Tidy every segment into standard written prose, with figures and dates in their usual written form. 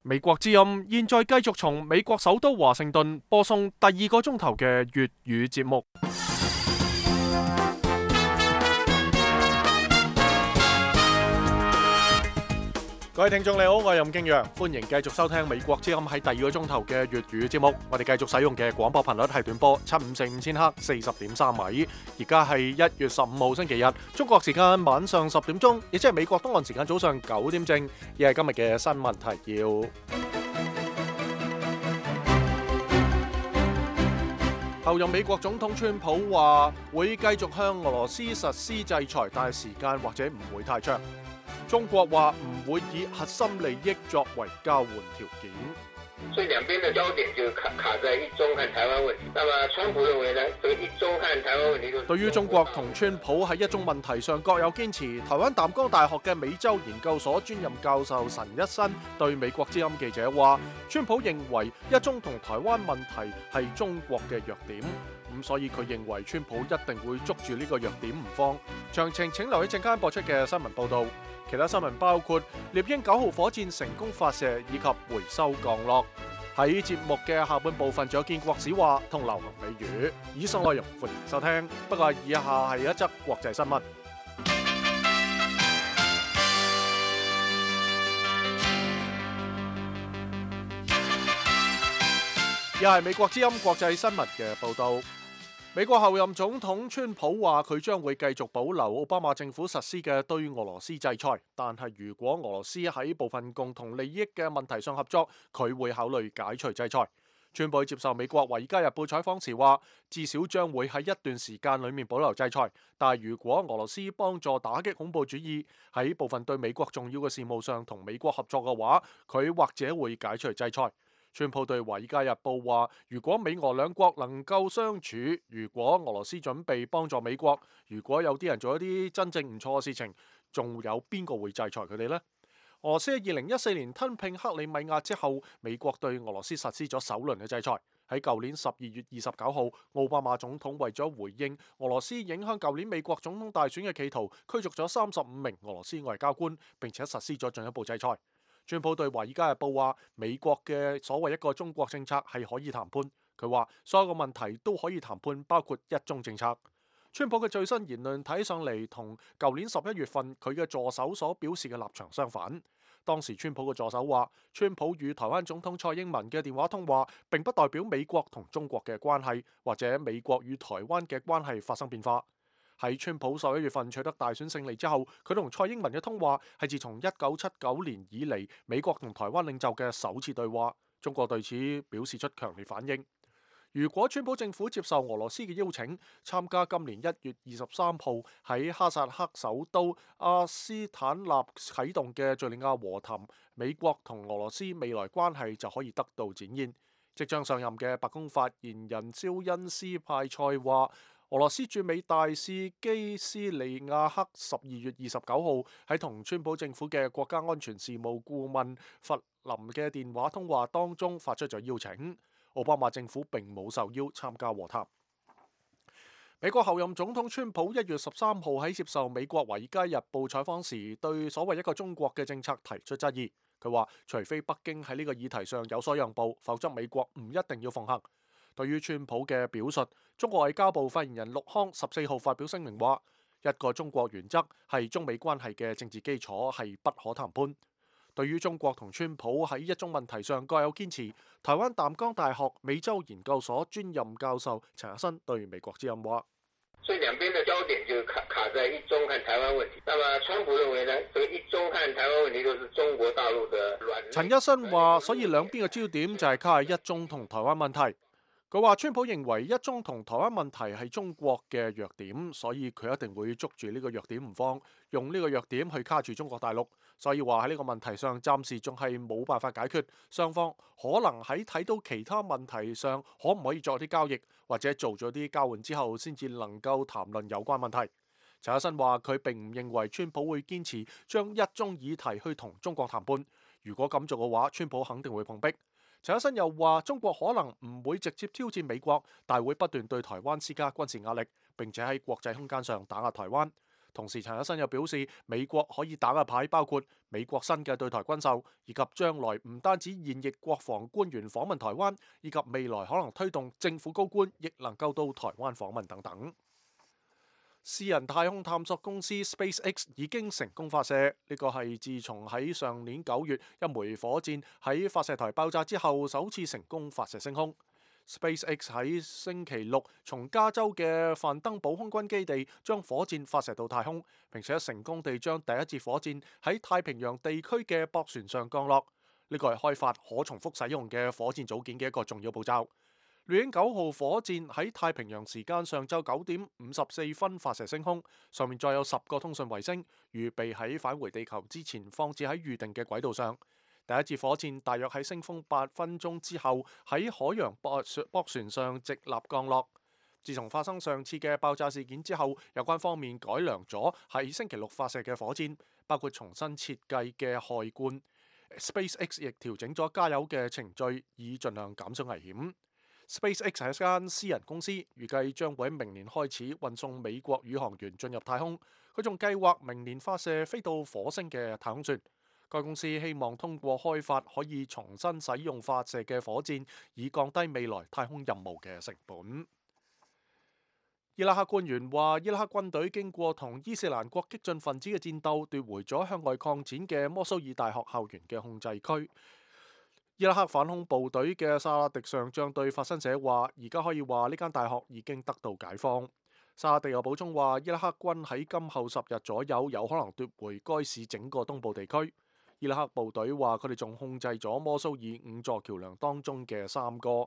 美國之音現在繼續從美國首都華盛頓播送第2個鐘頭嘅粵語節目。各位聽眾你好，我係任敬陽，歡迎繼續收聽美國之音喺第2個鐘頭嘅粵語節目。我哋繼續使用嘅廣播頻率係短波7545千赫40.3米。而家係1月15號星期日，中國時間晚上10點鐘，亦即係美國東岸時間早上9點正。亦係今日嘅新聞提要。後任美國總統川普話會繼續向俄羅斯實施制裁，但係時間或者唔會太長。中國話唔會以核心利益作為交換條件，所以兩邊的焦點就卡在一中和台灣問題。那麼川普認為呢，這個一中和台灣問題都對於中國同川普喺一中問題上各有堅持，台灣淡江大學嘅美洲研究所專任教授陳一新對美國之音記者話，川普認為一中同台灣問題係中國嘅弱點。咁所以佢認為川普一定會捉住呢個弱點唔放。詳情請留喺陣間播出嘅新聞報導。其他新聞包括獵鷹9號火箭成功發射以及回收降落。喺節目嘅下半部分仲有建國史話同流行美語。以上內容歡迎收聽。不過以下係一則國際新聞。又係美國之音國際新聞嘅報導。美國後任總統川普話佢將會繼續保留奧巴馬政府實施嘅對俄羅斯制裁，但係如果俄羅斯喺部分共同利益嘅問題上合作，佢會考慮解除制裁。川普接受美國《華爾街日報》採訪時話，至少將會喺一段時間裏面保留制裁，但係如果俄羅斯幫助打擊恐怖主義，喺部分對美國重要嘅事務上同美國合作嘅話，佢或者會解除制裁。川普對《華爾街日報》話，如果美俄兩國能夠相處，如果俄羅斯準備幫助美國，如果有啲人做一啲真正唔錯嘅事情，仲有邊個會制裁佢哋呢？俄羅斯喺2014年吞併克里米亞之後，美國對俄羅斯實施咗首輪嘅制裁。喺舊年12月29號，奧巴馬總統為咗回應俄羅斯影響舊年美國總統大選嘅企圖，驅逐咗35名俄羅斯外交官，並且實施咗進一步制裁。川普對《華爾街日報》話，美國嘅所謂一個中國政策係可以談判。佢話所有嘅問題都可以談判，包括一中政策。川普嘅最新言論睇上嚟同舊年11月份佢嘅助手所表示嘅立場相反。當時川普嘅助手話，川普與台灣總統蔡英文嘅電話通話並不代表美國同中國嘅關係或者美國與台灣嘅關係發生變化。喺川普11月份取得大選勝利之後，佢同蔡英文嘅通話係自從1979年以嚟美國同台灣領袖嘅首次對話。中國對此表示出強烈反應。如果川普政府接受俄羅斯嘅邀請，參加今年1月23號喺哈薩克首都阿斯坦納啟動嘅敘利亞和談，美國同俄羅斯未來關係就可以得到展現。即將上任嘅白宮發言人肖恩斯派塞話，俄羅斯駐美大使基斯利亞克12月29號喺同川普政府嘅國家安全事務顧問弗林嘅電話通話當中發出咗邀請。奧巴馬政府並冇受邀參加和談。美國後任總統川普1月13號喺接受美國《華爾街日報》採訪時，對所謂一個中國嘅政策提出質疑。佢話，除非北京喺呢個議題上有所讓步，否則美國唔一定要奉行。對於川普嘅表述，中國外交部發言人陸康14號發表聲明話，一個中國原則係中美關係嘅政治基礎，係不可談判。對於中國同川普喺一中問題上各有堅持，台灣淡江大學美洲研究所專任教授陳日新對美國之音話，所以兩邊的焦點就卡在一中和台灣問題。那麼川普認為呢，這個一中和台灣問題都是中國大陸的軟。陳一新話，所以兩邊嘅焦點就係卡喺一中同台灣問題。佢話川普認為一中同台灣問題係中國嘅弱點，所以佢一定會捉住呢個弱點唔放，用呢個弱點去卡住中國大陸。所以話喺呢個問題上暫時仲係冇辦法解決，雙方可能喺睇到其他問題上可唔可以作啲交易，或者做咗啲交換之後先至能夠談論有關問題。陳一新話佢並唔認為川普會堅持將一中議題去同中國談判，如果咁做嘅話，川普肯定會碰壁。陳一新又話，中國可能唔會直接挑戰美國，但會不斷對台灣施加軍事壓力，並且喺國際空間上打壓台灣。同時陳日新又表示，美國可以打嘅牌包括美國新嘅對台軍售，以及將來唔單止現役國防官員訪問台灣，以及未來可能推動政府高官亦能夠到台灣訪問等等。私人太空探索公司 SpaceX 已經成功發射，呢個係自從喺上年9月一枚火箭喺發射台爆炸之後，首次成功發射升空。SpaceX 喺星期六從加州嘅范登堡空軍基地將火箭發射到太空，並且成功地將第一節火箭喺太平洋地區嘅駁船上降落。呢個係開發可重複使用嘅火箭組件嘅一個重要步驟。獵鷹9號火箭喺太平洋時間上晝9點54分發射升空，上面載有10個通訊衛星，預備喺返回地球之前放置喺預定嘅軌道上。第一節火箭大約喺升空8分鐘之後喺海洋駁船上直立降落。自從發生上次嘅爆炸事件之後，有關方面改良咗喺星期六發射嘅火箭，包括重新設計嘅氦罐。SpaceX 亦調整咗加油嘅程序，以盡量減少危險。SpaceX 係一間私人公司，預計將會喺明年開始運送美國宇航員進入太空。佢仲計劃明年發射飛到火星嘅太空船。該公司希望通過開發可以重新使用發射嘅火箭，以降低未來太空任務嘅成本。伊拉克官員話，伊拉克軍隊經過同伊斯蘭國激進分子嘅戰鬥，奪回咗向外擴展嘅摩蘇爾大學校園嘅控制區。伊拉克反恐部隊嘅薩拉迪上將對法新社話，而家可以話呢間大學已經得到解放。薩拉迪又補充話，伊拉克軍喺今後10日左右有可能奪回該市整個東部地區。伊拉克部隊話佢哋仲控制咗摩蘇爾5座橋梁當中嘅3個。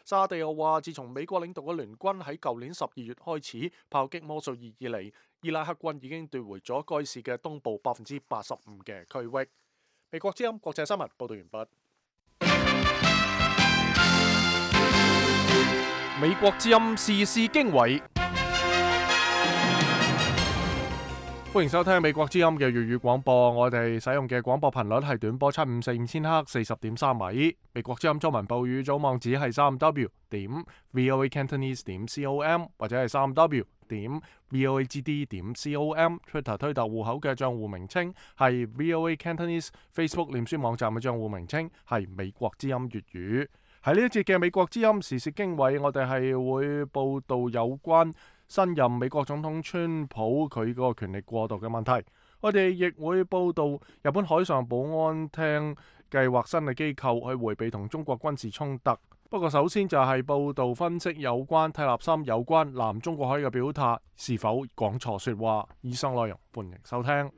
薩拉迪又話，自從美國領導嘅聯軍喺舊年12月開始炮擊摩蘇爾以嚟，伊拉克軍已經奪回咗該市嘅東部85%嘅區域。美國之音國際新聞報道完畢。美國之音時事經緯，歡迎收聽美國之音嘅粵語廣播。我哋使用嘅廣播頻率係短波7545千赫40.3米。美國之音中文部語組網址係3w.voacantonese.com 或者係3w.voagd.com。Twitter 推特戶口嘅賬戶名稱係 VOA Cantonese。Facebook 臉書網站嘅賬戶名稱係美國之音粵語。喺呢一節嘅美國之音時事經緯，我哋係會報道有關新任美國總統川普佢個權力過渡嘅問題。我哋亦會報道日本海上保安廳計劃新嘅機構去迴避同中國軍事衝突。不過首先就係報道分析有關蒂勒森有關南中國海嘅表態是否講錯說話。以上內容歡迎收聽。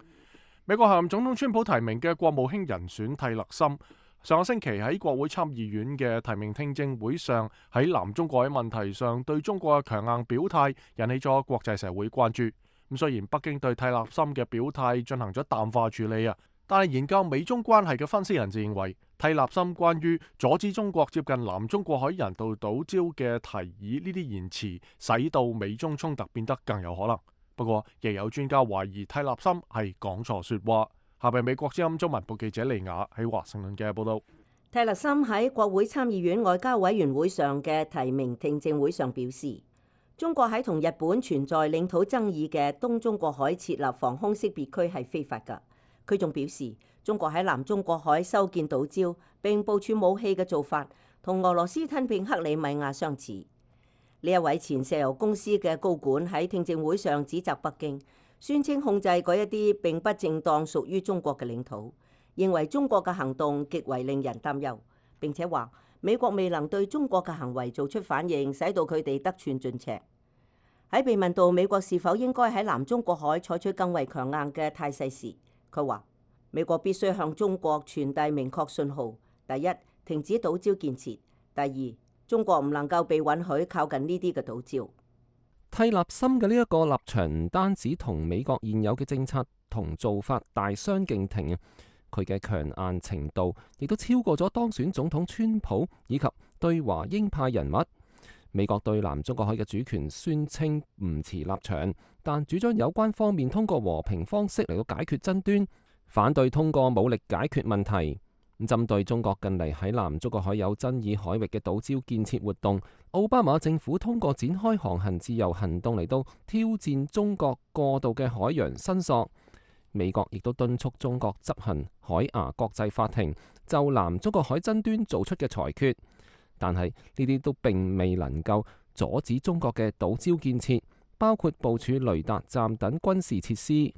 美國候任總統川普提名嘅國務卿人選蒂勒森，上個星期喺國會參議院嘅提名聽證會上，喺南中國海問題上對中國嘅強硬表態引起咗國際社會關注。咁雖然北京對蒂勒森嘅表態進行咗淡化處理但係研究美中關係嘅分析人士認為，蒂勒森關於阻止中國接近南中國海人道島礁嘅提議呢啲言辭，使到美中衝突變得更有可能。不過亦有專家懷疑蒂勒森係講錯說話。下邊美國之音中文部記者利雅喺華盛頓嘅報道。蒂勒森喺國會參議院外交委員會上嘅提名聽證會上表示，中國喺同日本存在領土爭議嘅東中國海設立防空識別區係非法㗎。佢仲表示，中國喺南中國海修建島礁並部署武器嘅做法，同俄羅斯吞併克里米亞相似。呢一位前石油公司嘅高管喺聽證會上指責北京，宣稱控制嗰一啲並不正當屬於中國嘅領土，認為中國嘅行動極為令人擔憂，並且話美國未能對中國嘅行為做出反應，使到佢哋得寸進尺。喺被問到美國是否應該喺南中國海採取更為強硬嘅態勢時，佢話美國必須向中國傳遞明確信號：第一，停止島礁建設；第二，中國唔能夠被允許靠近呢啲嘅島礁。蒂勒森嘅呢一個立場唔單止同美國現有嘅政策同做法大相徑庭，佢嘅強硬程度亦都超過咗當選總統川普以及對華鷹派人物。美國對南中國海嘅主權宣稱唔持立場，但主張有關方面通過和平方式嚟到解決爭端，反對通過武力解決問題。針對中國近嚟喺南中國海有爭議海域嘅島礁建設活動，奧巴馬政府通過展開航行自由行動嚟到挑戰中國過度嘅海洋申索。美國亦都敦促中國執行海牙國際法庭就南中國海爭端做出嘅裁決，但係呢啲都並未能夠阻止中國嘅島礁建設，包括部署雷達站等軍事設施。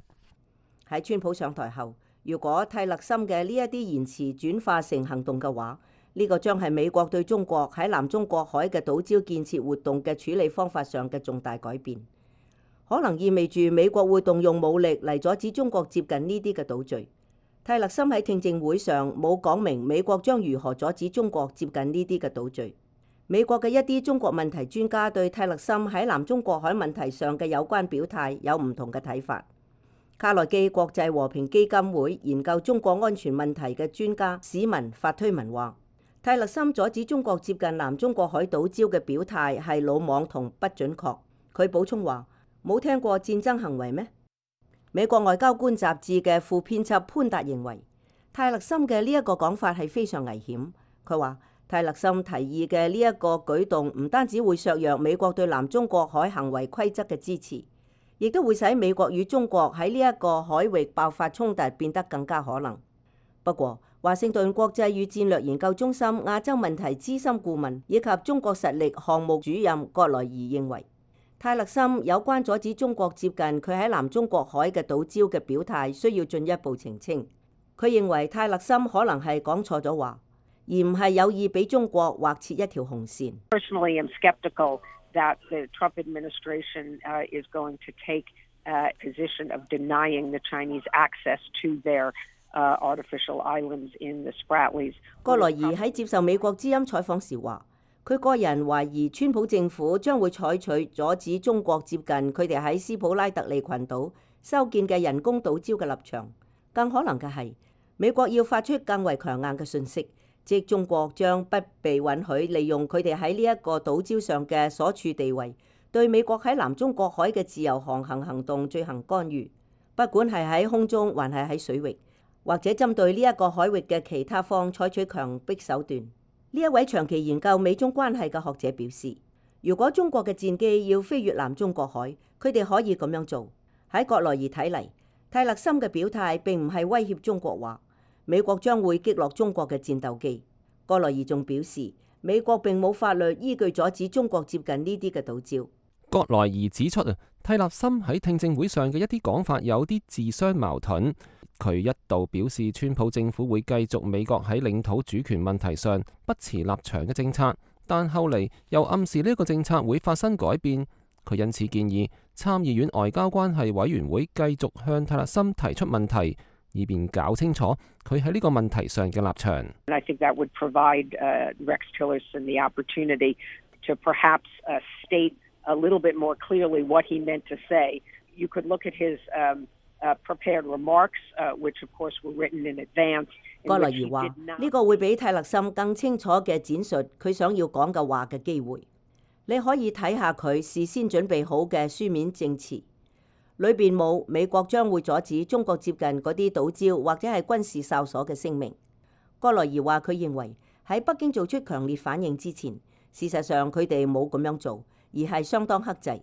喺川普上台後，如果泰勒森嘅呢一啲言辭轉化成行動嘅話，呢個將係美國對中國喺南中國海嘅島礁建設活動嘅處理方法上嘅重大改變，可能意味住美國會動用武力嚟阻止中國接近呢啲嘅島嶼。泰勒森喺聽證會上冇講明美國將如何阻止中國接近呢啲嘅島嶼。美國嘅一啲中國問題專家對泰勒森喺南中國海問題上嘅有關表態有唔同嘅睇法。卡內基國際和平基金會研究中國安全問題嘅專家史文發推文話，泰勒森阻止中國接近南中國海島礁嘅表態係魯莽同不準確。佢補充話，冇聽過戰爭行為咩？美國外交官雜誌嘅副編輯潘達認為，泰勒森嘅呢一個講法係非常危險。佢話，泰勒森提議嘅呢一個舉動唔單止會削弱美國對南中國海行為規則嘅支持，亦都會使美國與中國喺呢一個海域爆發衝突變得更加可能。不過，華盛頓國際與戰略研究中心亞洲問題資深顧問以及中國實力項目主任葛萊儀認為，泰勒森有關阻止中國接近佢喺南中國海嘅島礁嘅表態需要進一步澄清。佢認為泰勒森可能係講錯咗話，而唔係有意俾中國劃設一條紅線。Personally, I'm skeptical that the Trump administration is going to take a position of denying the Chinese access to their artificial islands in the Spratlys. 葛萊儀喺接受美國之音採訪時話，佢個人懷疑川普政府將會採取阻止中國接近佢哋喺斯普拉特利群島修建嘅人工島礁嘅立場。更可能嘅係，美國要發出更為強硬嘅訊息，即中國將不被允許利用佢哋喺呢一個島礁上嘅所處地位，對美國喺南中國海嘅自由航行行動進行干預，不管係喺空中還係喺水域，或者針對呢一個海域嘅其他方採取強迫手段。呢一位長期研究美中關係嘅學者表示，如果中國嘅戰機要飛越南中國海，佢哋可以咁樣做。喺葛萊儀睇嚟，泰勒森嘅表態並唔係威脅中國話美國將會擊落中國嘅戰鬥機。葛萊儀仲表示，美國並冇法律依據阻止中國接近呢啲嘅島礁。葛萊儀指出泰勒森喺聽證會上嘅一啲講法有啲自相矛盾。佢一度表示川普政府會繼續美國喺領土主權問題上不持立場嘅政策，但後嚟又暗示呢個政策會發生改變。佢因此建議參議院外交關係委員會繼續向泰勒森提出問題，以便搞清楚佢喺呢個問題上嘅立場。I think that would provide Rex Tillerson the opportunity to perhaps state a little bit more clearly what he meant to say. You could look at his prepared remarks, which of course were written in advance. 葛萊儀話：呢個會俾泰勒森更清楚嘅展述佢想要講嘅話嘅機會。你可以睇下佢事先準備好嘅書面證詞，裏邊冇美國將會阻止中國接近嗰啲島礁或者係軍事哨所嘅聲明。葛萊儀話佢認為喺北京做出強烈反應之前，事實上佢哋冇咁樣做，而係相當克制。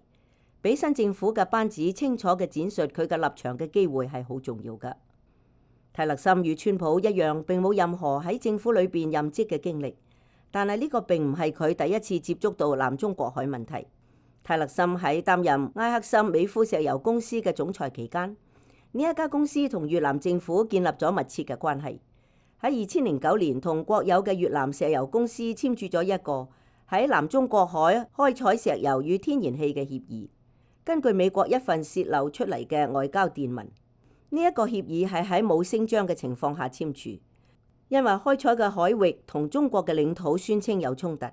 俾新政府嘅班子清楚嘅展述佢嘅立場嘅機會係好重要㗎。泰勒森與川普一樣並冇任何喺政府裏邊任職嘅經歷，但係呢個並唔係佢第一次接觸到南中國海問題。泰勒森喺擔任埃克森美孚石油公司嘅總裁期間，呢一家公司同越南政府建立咗密切嘅關係。喺2009年同國有嘅越南石油公司簽署咗一個喺南中國海開採石油與天然氣嘅協議。根據美國一份洩漏出嚟嘅外交電文，呢一個協議係喺冇聲張嘅情況下簽署，因為開採嘅海域同中國嘅領土宣稱有衝突。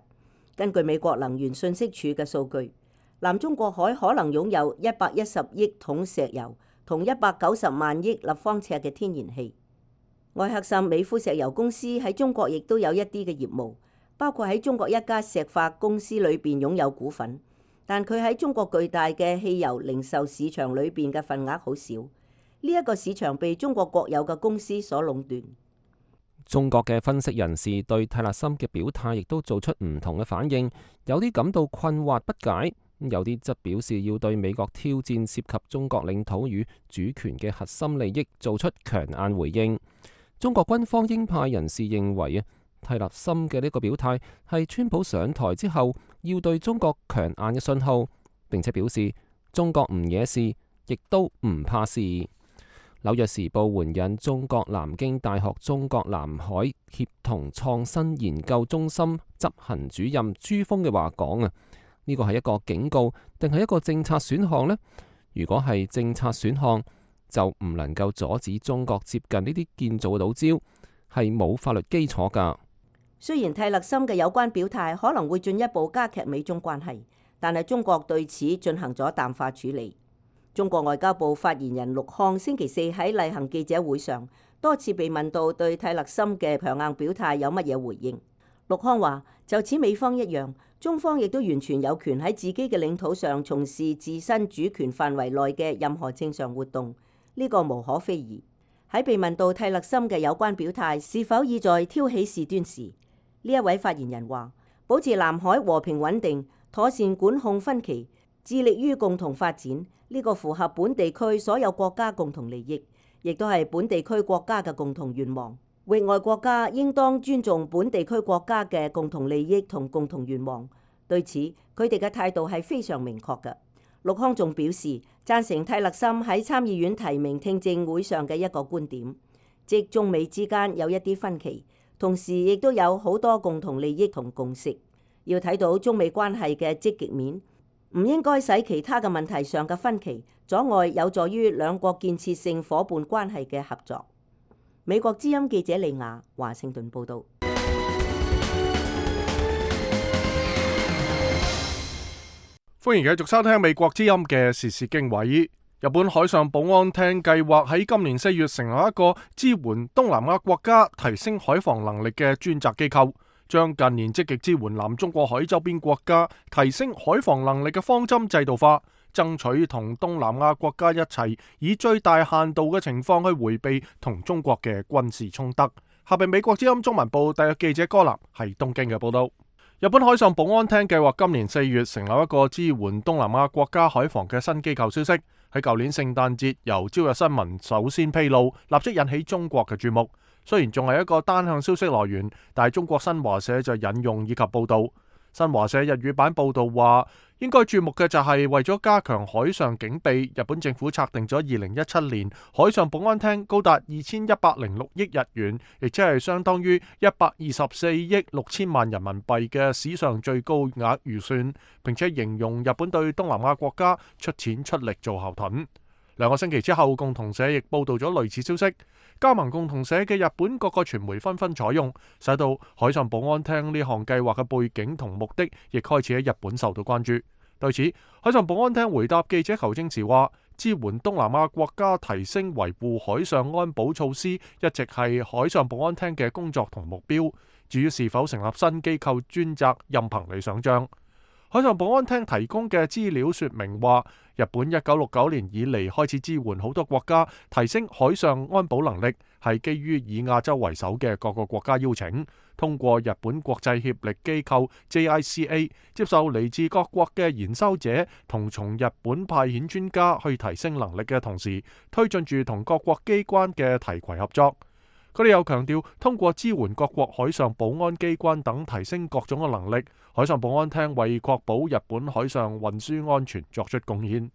根據美國能源信息署嘅數據，南中國海可能擁有110億桶石油同190萬億立方尺嘅天然氣。埃克森美孚石油公司喺中國亦都有一啲嘅業務，包括喺中國一家石化公司裏邊擁有股份。但佢喺中國巨大嘅汽油零售市場裏邊嘅份額好少，呢一個市場被中國國有嘅公司所壟斷。中國嘅分析人士對泰勒森嘅表態亦都做出唔同嘅反應，有啲感到困惑不解，有啲則表示要對美國挑戰涉及中國領土與主權嘅核心利益做出強硬回應。中國軍方鷹派人士認為啊，泰勒森嘅呢個表態係川普上台之後要對中國強硬嘅信號，並且表示中國唔惹事，亦都唔怕事。紐約時報援引中國南京大學中國南海協同創新研究中心執行主任朱峰嘅話講啊，呢個係一個警告定係一個政策選項呢？如果係政策選項，就唔能夠阻止中國接近呢啲建造嘅島礁，係冇法律基礎㗎。雖然泰勒森嘅有關表態可能會進一步加劇美中關係，但係中國對此進行咗淡化處理。中國外交部發言人陸慷星期四喺例行記者會上多次被問到對泰勒森嘅強硬表態有乜嘢回應。陸慷話：就此美方一樣，中方亦都完全有權喺自己嘅領土上從事自身主權範圍內嘅任何正常活動，呢個無可非議。喺被問到泰勒森嘅有關表態是否意在挑起事端時，呢一位發言人話：保持南海和平穩定，妥善管控分歧，致力於共同發展，呢個符合本地區所有國家共同利益，亦都係本地區國家嘅共同願望。域外國家應當尊重本地區國家嘅共同利益同共同願望。對此，佢哋嘅態度係非常明確嘅。陸慷仲表示贊成泰勒森喺參議院提名聽證會上嘅一個觀點，即中美之間有一啲分歧，同時亦都有好多共同利益同共識。要睇到中美關係嘅積極面，唔應該使其他嘅問題上嘅分歧阻礙有助於兩國建設性夥伴關係嘅合作。美國之音記者李雅華盛頓報導。歡迎繼續收聽美國之音嘅時事經緯。日本海上保安廳計劃喺今年4月成立一個支援東南亞國家提升海防能力嘅專責機構，將近年積極支援南中國海周邊國家提升海防能力嘅方針制度化，爭取同東南亞國家一齊以最大限度嘅情況去迴避同中國嘅軍事衝突。下邊美國之音中文部特約記者柯南係東京嘅報道。日本海上保安廳計劃今年4月成立一個支援東南亞國家海防嘅新機構消息，喺舊年聖誕節由朝日新聞首先披露，立即引起中國嘅注目。雖然仲係一個單向消息來源，但係中國新華社就引用以及報道。新華社日語版報道話，應該注目嘅就係為咗加強海上警備，日本政府策定咗2017年海上保安廳高達2106億日元，亦即係相當於124億6千萬人民幣嘅史上最高額預算，並且形容日本對東南亞國家出錢出力做後盾。2個星期之後，共同社亦報道咗類似消息。加盟共同社嘅日本各個傳媒紛紛採用，使到海上保安廳呢項計劃嘅背景同目的，亦開始喺日本受到關注。對此，海上保安廳回答記者求證時話，支援東南亞國家提升維護海上安保措施，一直係海上保安廳嘅工作同目標。至於是否成立新機構專責，任憑你想象。海上保安廳提供嘅資料說明話，日本1969年以嚟開始支援好多國家提升海上安保能力，係基於以亞洲為首嘅各個國家邀請，通過日本國際協力機構 JICA 接受嚟自各國嘅研修者同從日本派遣專家去提升能力嘅同時，推進住同各國機關嘅提攜合作。佢哋又強調，通過支援各國海上保安機關等提升各種嘅能力，海上保安廳為確保日本海上運輸安全作出貢獻。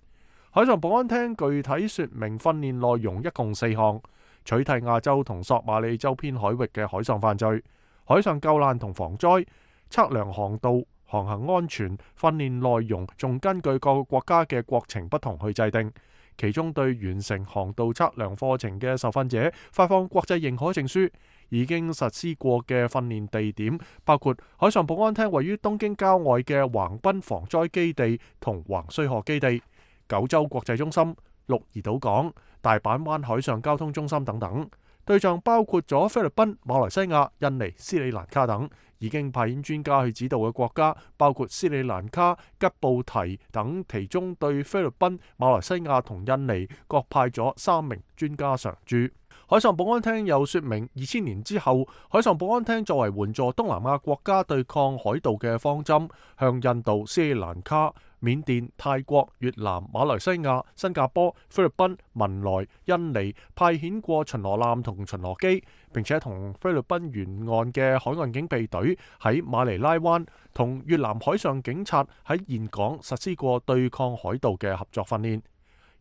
海上保安廳具體說明訓練內容一共4項：取締亞洲同索馬里周邊海域嘅海上犯罪、海上救難同防災、測量航道、航行安全。訓練內容仲根據各個國家嘅國情不同去制定。其中對完成航道測量課程嘅受訓者發放國際認可證書。已經實施過嘅訓練地點包括海上保安廳位於東京郊外嘅橫濱防災基地同橫須賀基地、九州國際中心、鹿兒島港、大阪灣海上交通中心等等。對象包括咗菲律賓、馬來西亞、印尼、斯里蘭卡等。已經派遣專家去指導嘅國家包括斯里蘭卡、吉布提等，其中對菲律賓、馬來西亞同印尼各派咗3名專家常駐。海上保安廳又說明，2000年之後，海上保安廳作為援助東南亞國家對抗海盜嘅方針，向印度、斯里蘭卡、緬甸、泰國、越南、馬來西亞、新加坡、菲律賓、文萊、印尼派遣過巡邏艦同巡邏機，並且同菲律賓沿岸嘅海岸警備隊喺馬尼拉灣同越南海上警察喺峴港實施過對抗海盜嘅合作訓練。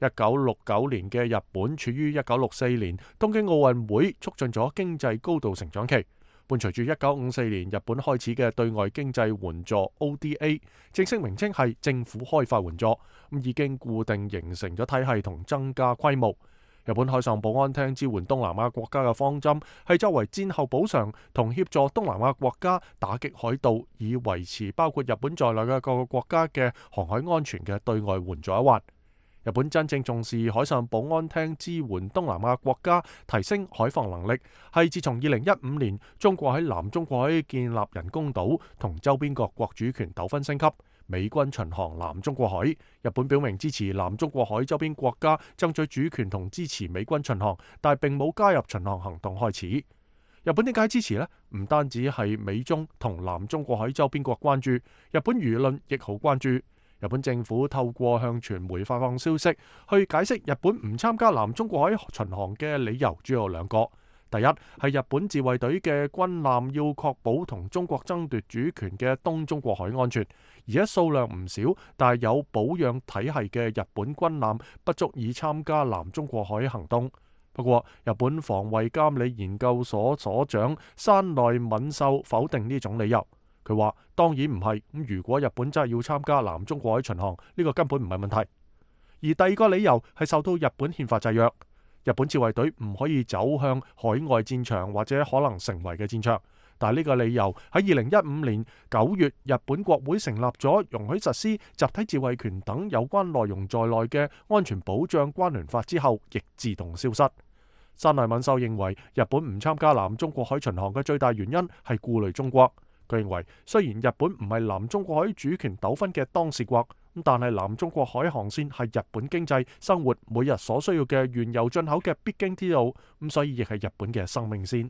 1969年嘅日本處於1964年東京奧運會促進咗經濟高度成長期，伴隨住1954年日本開始嘅對外經濟援助 ODA， 正式名稱係政府開發援助，已經固定形成咗體系同增加規模。日本海上保安廳支援東南亞國家嘅方針係作為戰後補償同協助東南亞國家打擊海盜，以維持包括日本在內嘅各個國家嘅航海安全嘅對外援助一環。日本真正重視海上保安廳支援東南亞國家提升海防能力，係自從2015年中國喺南中國海建立人工島同周邊各國主權糾紛升級，美軍巡航南中國海，日本表明支持南中國海周邊國家爭取主權同支持美軍巡航，但並冇加入巡航行動開始。日本點解支持呢？唔單止係美中同南中國海周邊國關注，日本輿論亦好關注。日本政府透過向傳媒發放消息，去解釋日本唔參加南中國海巡航嘅理由主要有兩個。第一係日本自衛隊嘅軍艦要確保同中國爭奪主權嘅東中國海安全，而且數量唔少，但係有保養體系嘅日本軍艦不足以參加南中國海行動。不過，日本防衛監理研究所所長山內敏秀否定呢種理由。佢話：當然唔係，咁如果日本真係要參加南中國海巡航，呢個根本唔係問題。而第二個理由係受到日本憲法制約，日本自衛隊唔可以走向海外戰場或者可能成為嘅戰場。但係呢個理由喺2015年9月日本國會成立咗容許實施集體自衛權等有關內容在內嘅安全保障關聯法之後，亦自動消失。山內敏秀認為，日本唔參加南中國海巡航嘅最大原因係顧慮中國。佢認為，雖然日本唔係南中國海主權糾紛嘅當事國，但係南中國海航線係日本經濟生活每日所需要嘅原油進口嘅必經之路，所以亦係日本嘅生命線。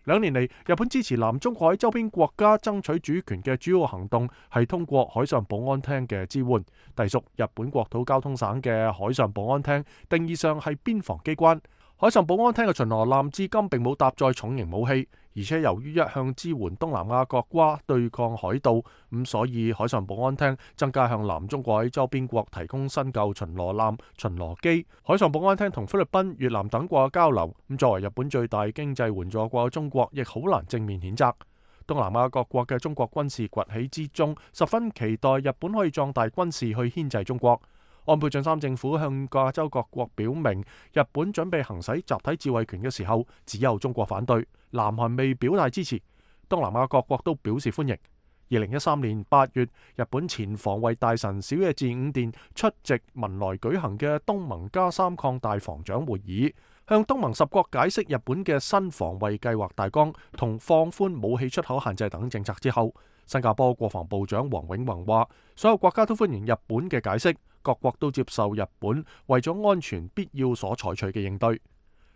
2年嚟，日本支持南中國海周邊國家爭取主權嘅主要行動係通過海上保安廳嘅支援，隸屬日本國土交通省嘅海上保安廳，定義上係邊防機關。海上保安廳嘅巡邏艦至今並冇搭載重型武器，而且由於一向支援東南亞國家對抗海盜，所以海上保安廳增加向南中國海周邊國提供新舊巡邏艦、巡邏機。海上保安廳同菲律賓、越南等國嘅交流，作為日本最大經濟援助國嘅中國，亦好難正面譴責。東南亞各國嘅中國軍事崛起之中，十分期待日本可以壯大軍事去牽制中國。安倍晉三政府向亞洲各國表明，日本準備行使集體自衛權嘅時候，只有中國反對，南韓未表態支持，東南亞各國都表示歡迎。2013年8月，日本前防衛大臣小野寺五殿出席文萊舉行嘅東盟+3擴大防長會議，向東盟10國解釋日本嘅新防衛計劃大綱同放寬武器出口限制等政策之後，新加坡國防部長黃永宏話：所有國家都歡迎日本嘅解釋，各國都接受日本為咗安全必要所採取嘅應對。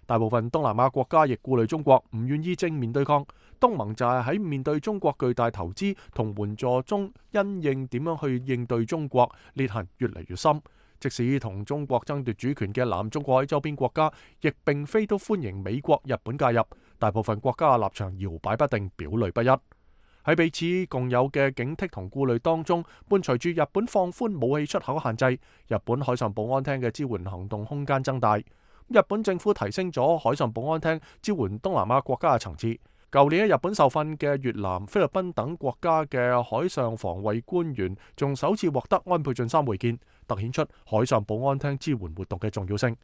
大部分東南亞國家亦顧慮中國，唔願意正面對抗。東盟就係喺面對中國巨大投資同援助中，因應點樣去應對中國，裂痕越嚟越深。即使同中國爭奪主權嘅南中國海周邊國家，亦並非都歡迎美國、日本介入。大部分國家嘅立場搖擺不定，表裏不一。喺彼此共有嘅警惕同顧慮當中，伴隨住日本放寬武器出口限制，日本海上保安廳嘅支援行動空間增大。日本政府提升咗海上保安廳支援東南亞國家嘅層次。舊年喺日本受訓嘅越南、菲律賓等國家嘅海上防衛官員，仲首次獲得安倍晉三會見，凸顯出海上保安廳支援活動嘅重要性。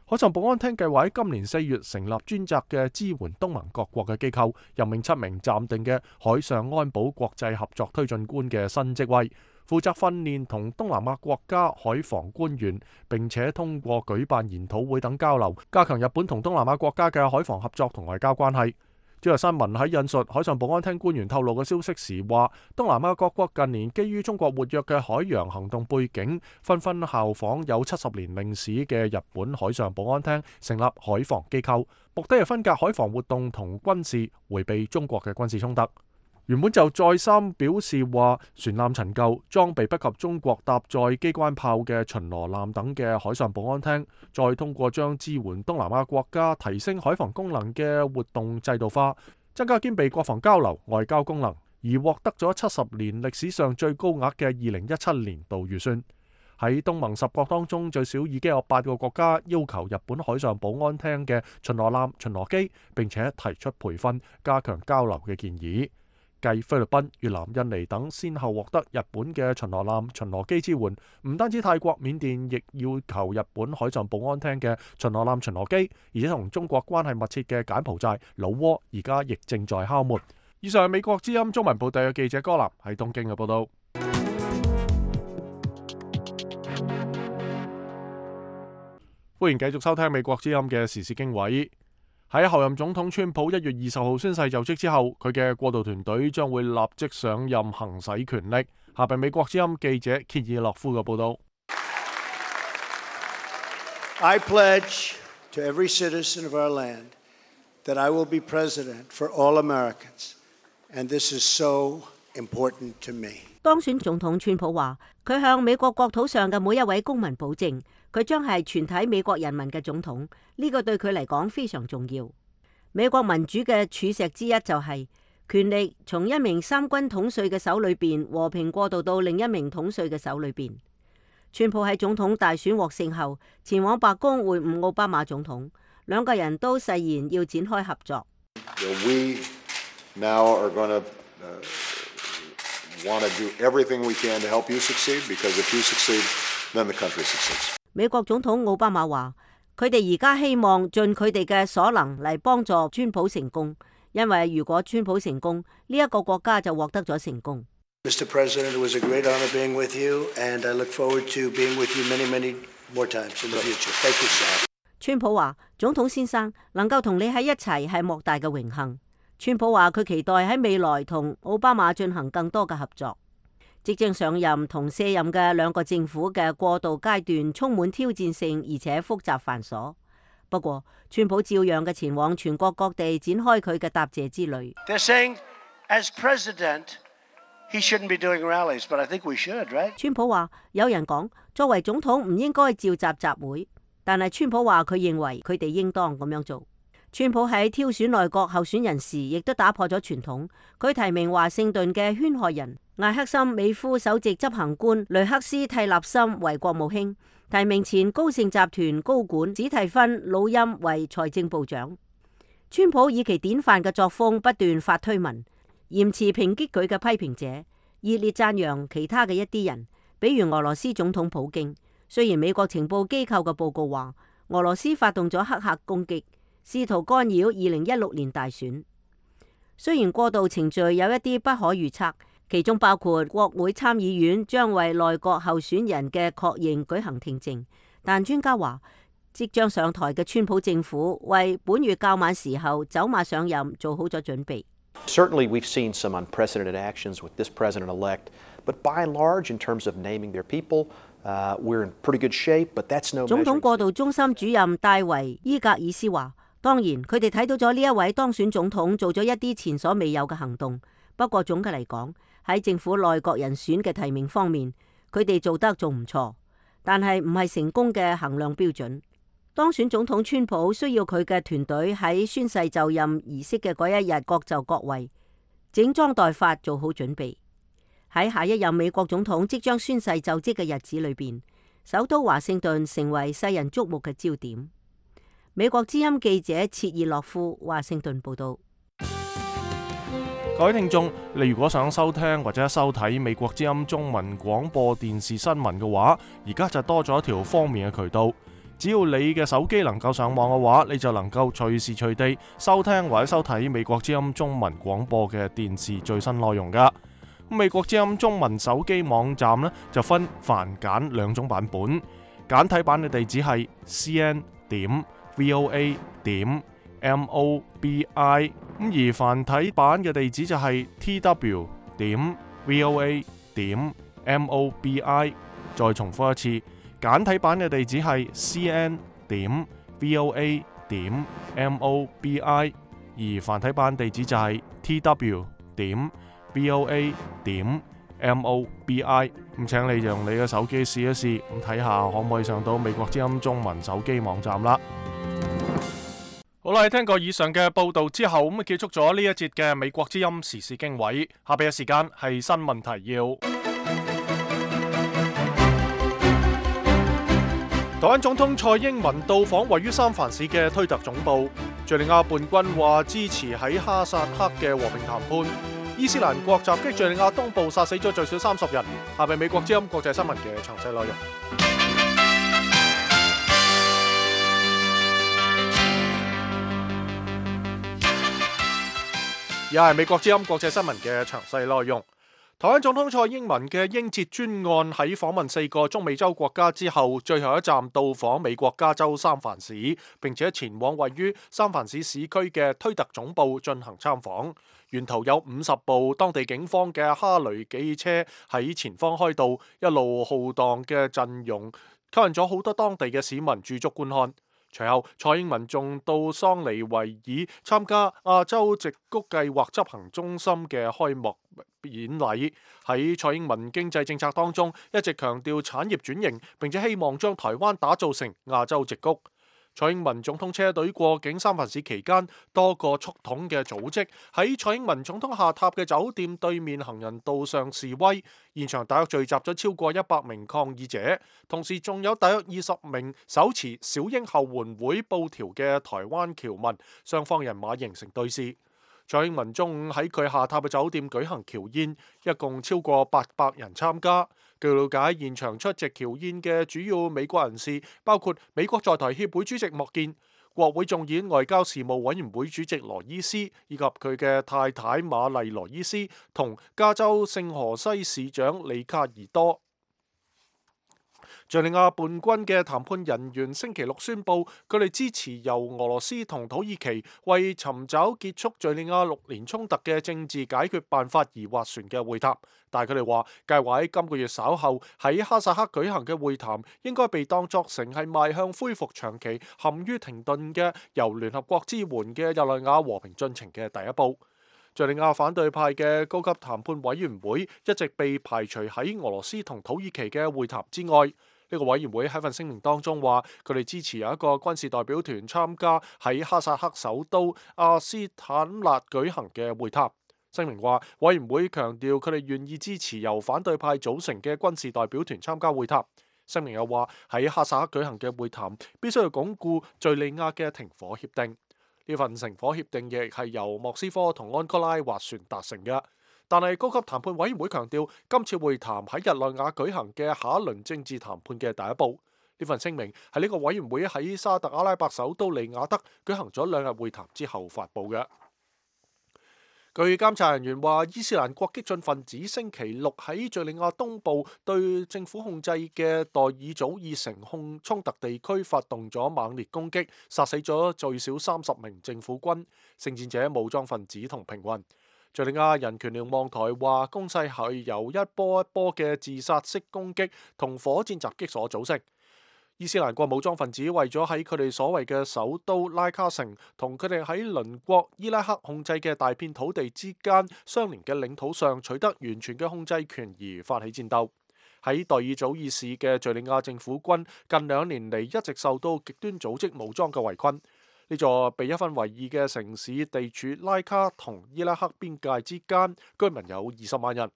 海上保安廳計劃喺今年4月成立專責嘅支援東盟各國嘅機構，任命7名暫定嘅海上安保國際合作推進官嘅新職位，負責訓練同東南亞國家海防官員，並且通過舉辦研討會等交流，加強日本同東南亞國家嘅海防合作同外交關係。朝日新聞喺引述海上保安廳官員透露嘅消息時話，東南亞各國近年基於中國活躍嘅海洋行動背景，紛紛效仿有70年歷史嘅日本海上保安廳，成立海防機構，目的係分隔海防活動同軍事，迴避中國嘅軍事衝突。原本就再三表示話，船艦陳舊、裝備不及中國搭載機關炮嘅巡邏艦等嘅海上保安廳，再通過將支援東南亞國家提升海防功能嘅活動制度化，增加兼備國防交流、外交功能，而獲得咗70年歷史上最高額嘅2017年度預算。喺東盟10國當中，最少已經有8個國家要求日本海上保安廳嘅巡邏艦、巡邏機，並且提出培訓、加強交流嘅建議。繼菲律賓、越南、印尼等先後獲得日本嘅巡邏艦、巡邏機支援，唔單止泰國、緬甸亦要求日本海上保安廳嘅巡邏艦、巡邏機，而且同中國關係密切嘅柬埔寨、老撾而家亦正在敲門。以上係美國之音中文部隊嘅記者柯南喺東京嘅報道。歡迎繼續收聽美國之音嘅時事經緯。喺候任總統川普1月20號宣誓就職之後，佢嘅過渡團隊將會立即上任行使權力。下邊美國之音記者歇爾諾夫嘅報道。I pledge to every citizen of our land that I will be president for all Americans, and this is so important to me. 當選總統川普話，佢向美國國土上嘅每一位公民保證，佢將係全體美國人民嘅總統，呢個對佢嚟講非常重要。美國民主嘅柱石之一就係權力從一名三軍統帥嘅手裏邊和平過渡到另一名統帥嘅手裏邊。川普喺總統大選獲勝後，前往白宮會晤奧巴馬總統，兩個人都誓言要展開合作。We now are going to want to do everything we can to help you succeed, because if you succeed, then the country succeeds. 美國總統奧巴馬話，佢哋而家希望盡佢哋嘅所能嚟幫助川普成功，因為如果川普成功，呢一個國家就獲得咗成功。Mr. President, it was a great honor being with you, and I look forward to being with you many, many more times in the future. Thank you, sir. 川普話：總統先生，能夠同你喺一齊係莫大嘅榮幸。川普話佢期待喺未來同奧巴馬進行更多嘅合作。即將上任同卸任嘅兩個政府嘅過渡階段充滿挑戰性，而且複雜繁瑣。不過，川普照樣嘅前往全國各地展開佢嘅答謝之旅。They're saying, as president, he shouldn't be doing rallies, but I think we should, right? 川普話：有人講作為總統唔應該召集集會，但係川普話佢認為佢哋應當咁樣做。川普喺挑選內閣候選人時，亦都打破咗傳統。佢提名華盛頓嘅圈害人艾克森美孚首席執行官雷克斯蒂納森為國務卿，提名前高盛集團高管史蒂芬魯欽為財政部長。川普以其典範嘅作風不斷發推文，嚴詞抨擊佢嘅批評者，熱烈讚揚其他嘅一啲人，比如俄羅斯總統普京。雖然美國情報機構嘅報告話俄羅斯發動咗黑客攻擊，試圖干擾2016年大選。雖然過渡程序有一啲不可預測，其中包括國會參議院將為內閣候選人嘅確認舉行聽證，但專家話即將上台嘅川普政府為本月較晚時候走馬上任做好咗準備。Certainly, we've seen some unprecedented actions with this president-elect, but by and large, in terms of naming their people, we're in pretty good shape. But that's no. 總統過渡中心主任戴維伊格爾斯話：當然，佢哋睇到咗呢一位當選總統做咗一啲前所未有嘅行動。不過總嘅嚟講，喺政府內閣人選嘅提名方面，佢哋做得仲唔錯，但係唔係成功嘅衡量標準。當選總統川普需要佢嘅團隊喺宣誓就任儀式嘅嗰一日各就各位，整裝待發，做好準備。喺下一任美國總統即將宣誓就職嘅日子裏邊，首都華盛頓成為世人矚目嘅焦點。美國之音記者切爾諾夫華盛頓報道。各位聽眾，你如果想收聽或者收睇美國之音中文廣播電視新聞嘅話，而家就多咗一條方便嘅渠道。只要你嘅手機能夠上網嘅話，你就能夠隨時隨地收聽或者收睇美國之音中文廣播嘅電視最新內容噶。美國之音中文手機網站呢，就分繁簡兩種版本，簡體版嘅地址係cn.voa.com .mobi， 而繁體版嘅地址就係 tw.voa.mobi。再重複一次，簡體版嘅地址係 cn.voa.mobi， 而繁體版地址就係 tw.voa.mobi。咁請你用你嘅手機試一試，咁睇下可唔可以上到美國之音中文手機網站啦。好啦，聽過以上嘅報道之後，咁結束咗呢一節嘅美國之音時事經緯。下邊嘅時間係新聞提要。台灣總統蔡英文到訪位於三藩市嘅推特總部。敘利亞叛軍話支持喺哈薩克嘅和平談判。伊斯蘭國襲擊敘利亞東部，殺死咗最少30人。下邊美國之音國際新聞嘅詳細內容。而係美國之音國際新聞嘅詳細內容。台灣總統蔡英文嘅英捷專案喺訪問4個中美洲國家之後，最後一站到訪美國加州三藩市，並且前往位於三藩市市區嘅推特總部進行參訪。沿途有50部當地警方嘅哈雷機車喺前方開道，一路浩蕩嘅陣容吸引咗好多當地嘅市民駐足觀看。隨後，蔡英文仲到桑尼維爾參加亞洲矽谷計劃執行中心嘅開幕演禮。喺蔡英文經濟政策當中，一直強調產業轉型，並且希望將台灣打造成亞洲矽谷。蔡英文總統車隊過境三藩市期間，多個促統嘅組織喺蔡英文總統下榻嘅酒店對面行人道上示威，現場大約聚集咗超過100名抗議者，同時仲有大約20名手持小英後援會布條嘅台灣僑民，雙方人馬形成對峙。蔡英文中午喺佢下榻嘅酒店舉行僑宴，一共超過800人參加。據了解，現場出席僑宴嘅主要美國人士包括美國在台協會主席莫健、國會眾議院外交事務委員會主席羅伊斯，以及佢嘅太太瑪麗羅伊斯同加州聖荷西市長里卡爾多。敘利亞叛軍嘅談判人員星期六宣布，佢哋支持由俄羅斯同土耳其為尋找結束敘利亞6年衝突嘅政治解決辦法而斡旋嘅會談。但係佢哋話，計劃喺今個月稍後喺哈薩克舉行嘅會談，應該被當作成係邁向恢復長期陷於停頓嘅由聯合國支援嘅日內瓦和平進程嘅第一步。敘利亞反對派嘅高級談判委員會一直被排除喺俄羅斯同土耳其嘅會談之外。呢個委員會喺份聲明當中話，佢哋支持有一個軍事代表團參加喺哈薩克首都阿斯坦納舉行嘅會談。聲明話，委員會強調佢哋願意支持由反對派組成嘅軍事代表團參加會談。聲明又話，喺哈薩克舉行嘅會談必須要鞏固敘利亞嘅停火協定。呢份停火協定亦係由莫斯科同安哥拉斡旋達成嘅。但係高級談判委員會強調，今次會談喺日內瓦舉行嘅下一輪政治談判嘅第一步。呢份聲明係呢個委員會喺沙特阿拉伯首都利雅得舉行咗2日會談之後發布嘅。據監察人員話，伊斯蘭國激進分子星期六喺敘利亞東部對政府控制嘅代爾祖爾城衝突地區發動咗猛烈攻擊，殺死咗最少30名政府軍、聖戰者、武裝分子同平民。敘利亞人權瞭望台話，攻勢係由一波一波嘅自殺式攻擊同火箭襲擊所組成。伊斯蘭國武裝分子為咗喺佢哋所謂嘅首都拉卡城同佢哋喺鄰國伊拉克控制嘅大片土地之間相連嘅領土上取得完全嘅控制權而發起戰鬥。喺代爾祖爾市嘅敘利亞政府軍近2年嚟一直受到極端組織武裝嘅圍困。呢座被一分為2嘅城市地處拉卡同伊拉克邊界之間，居民有20萬人。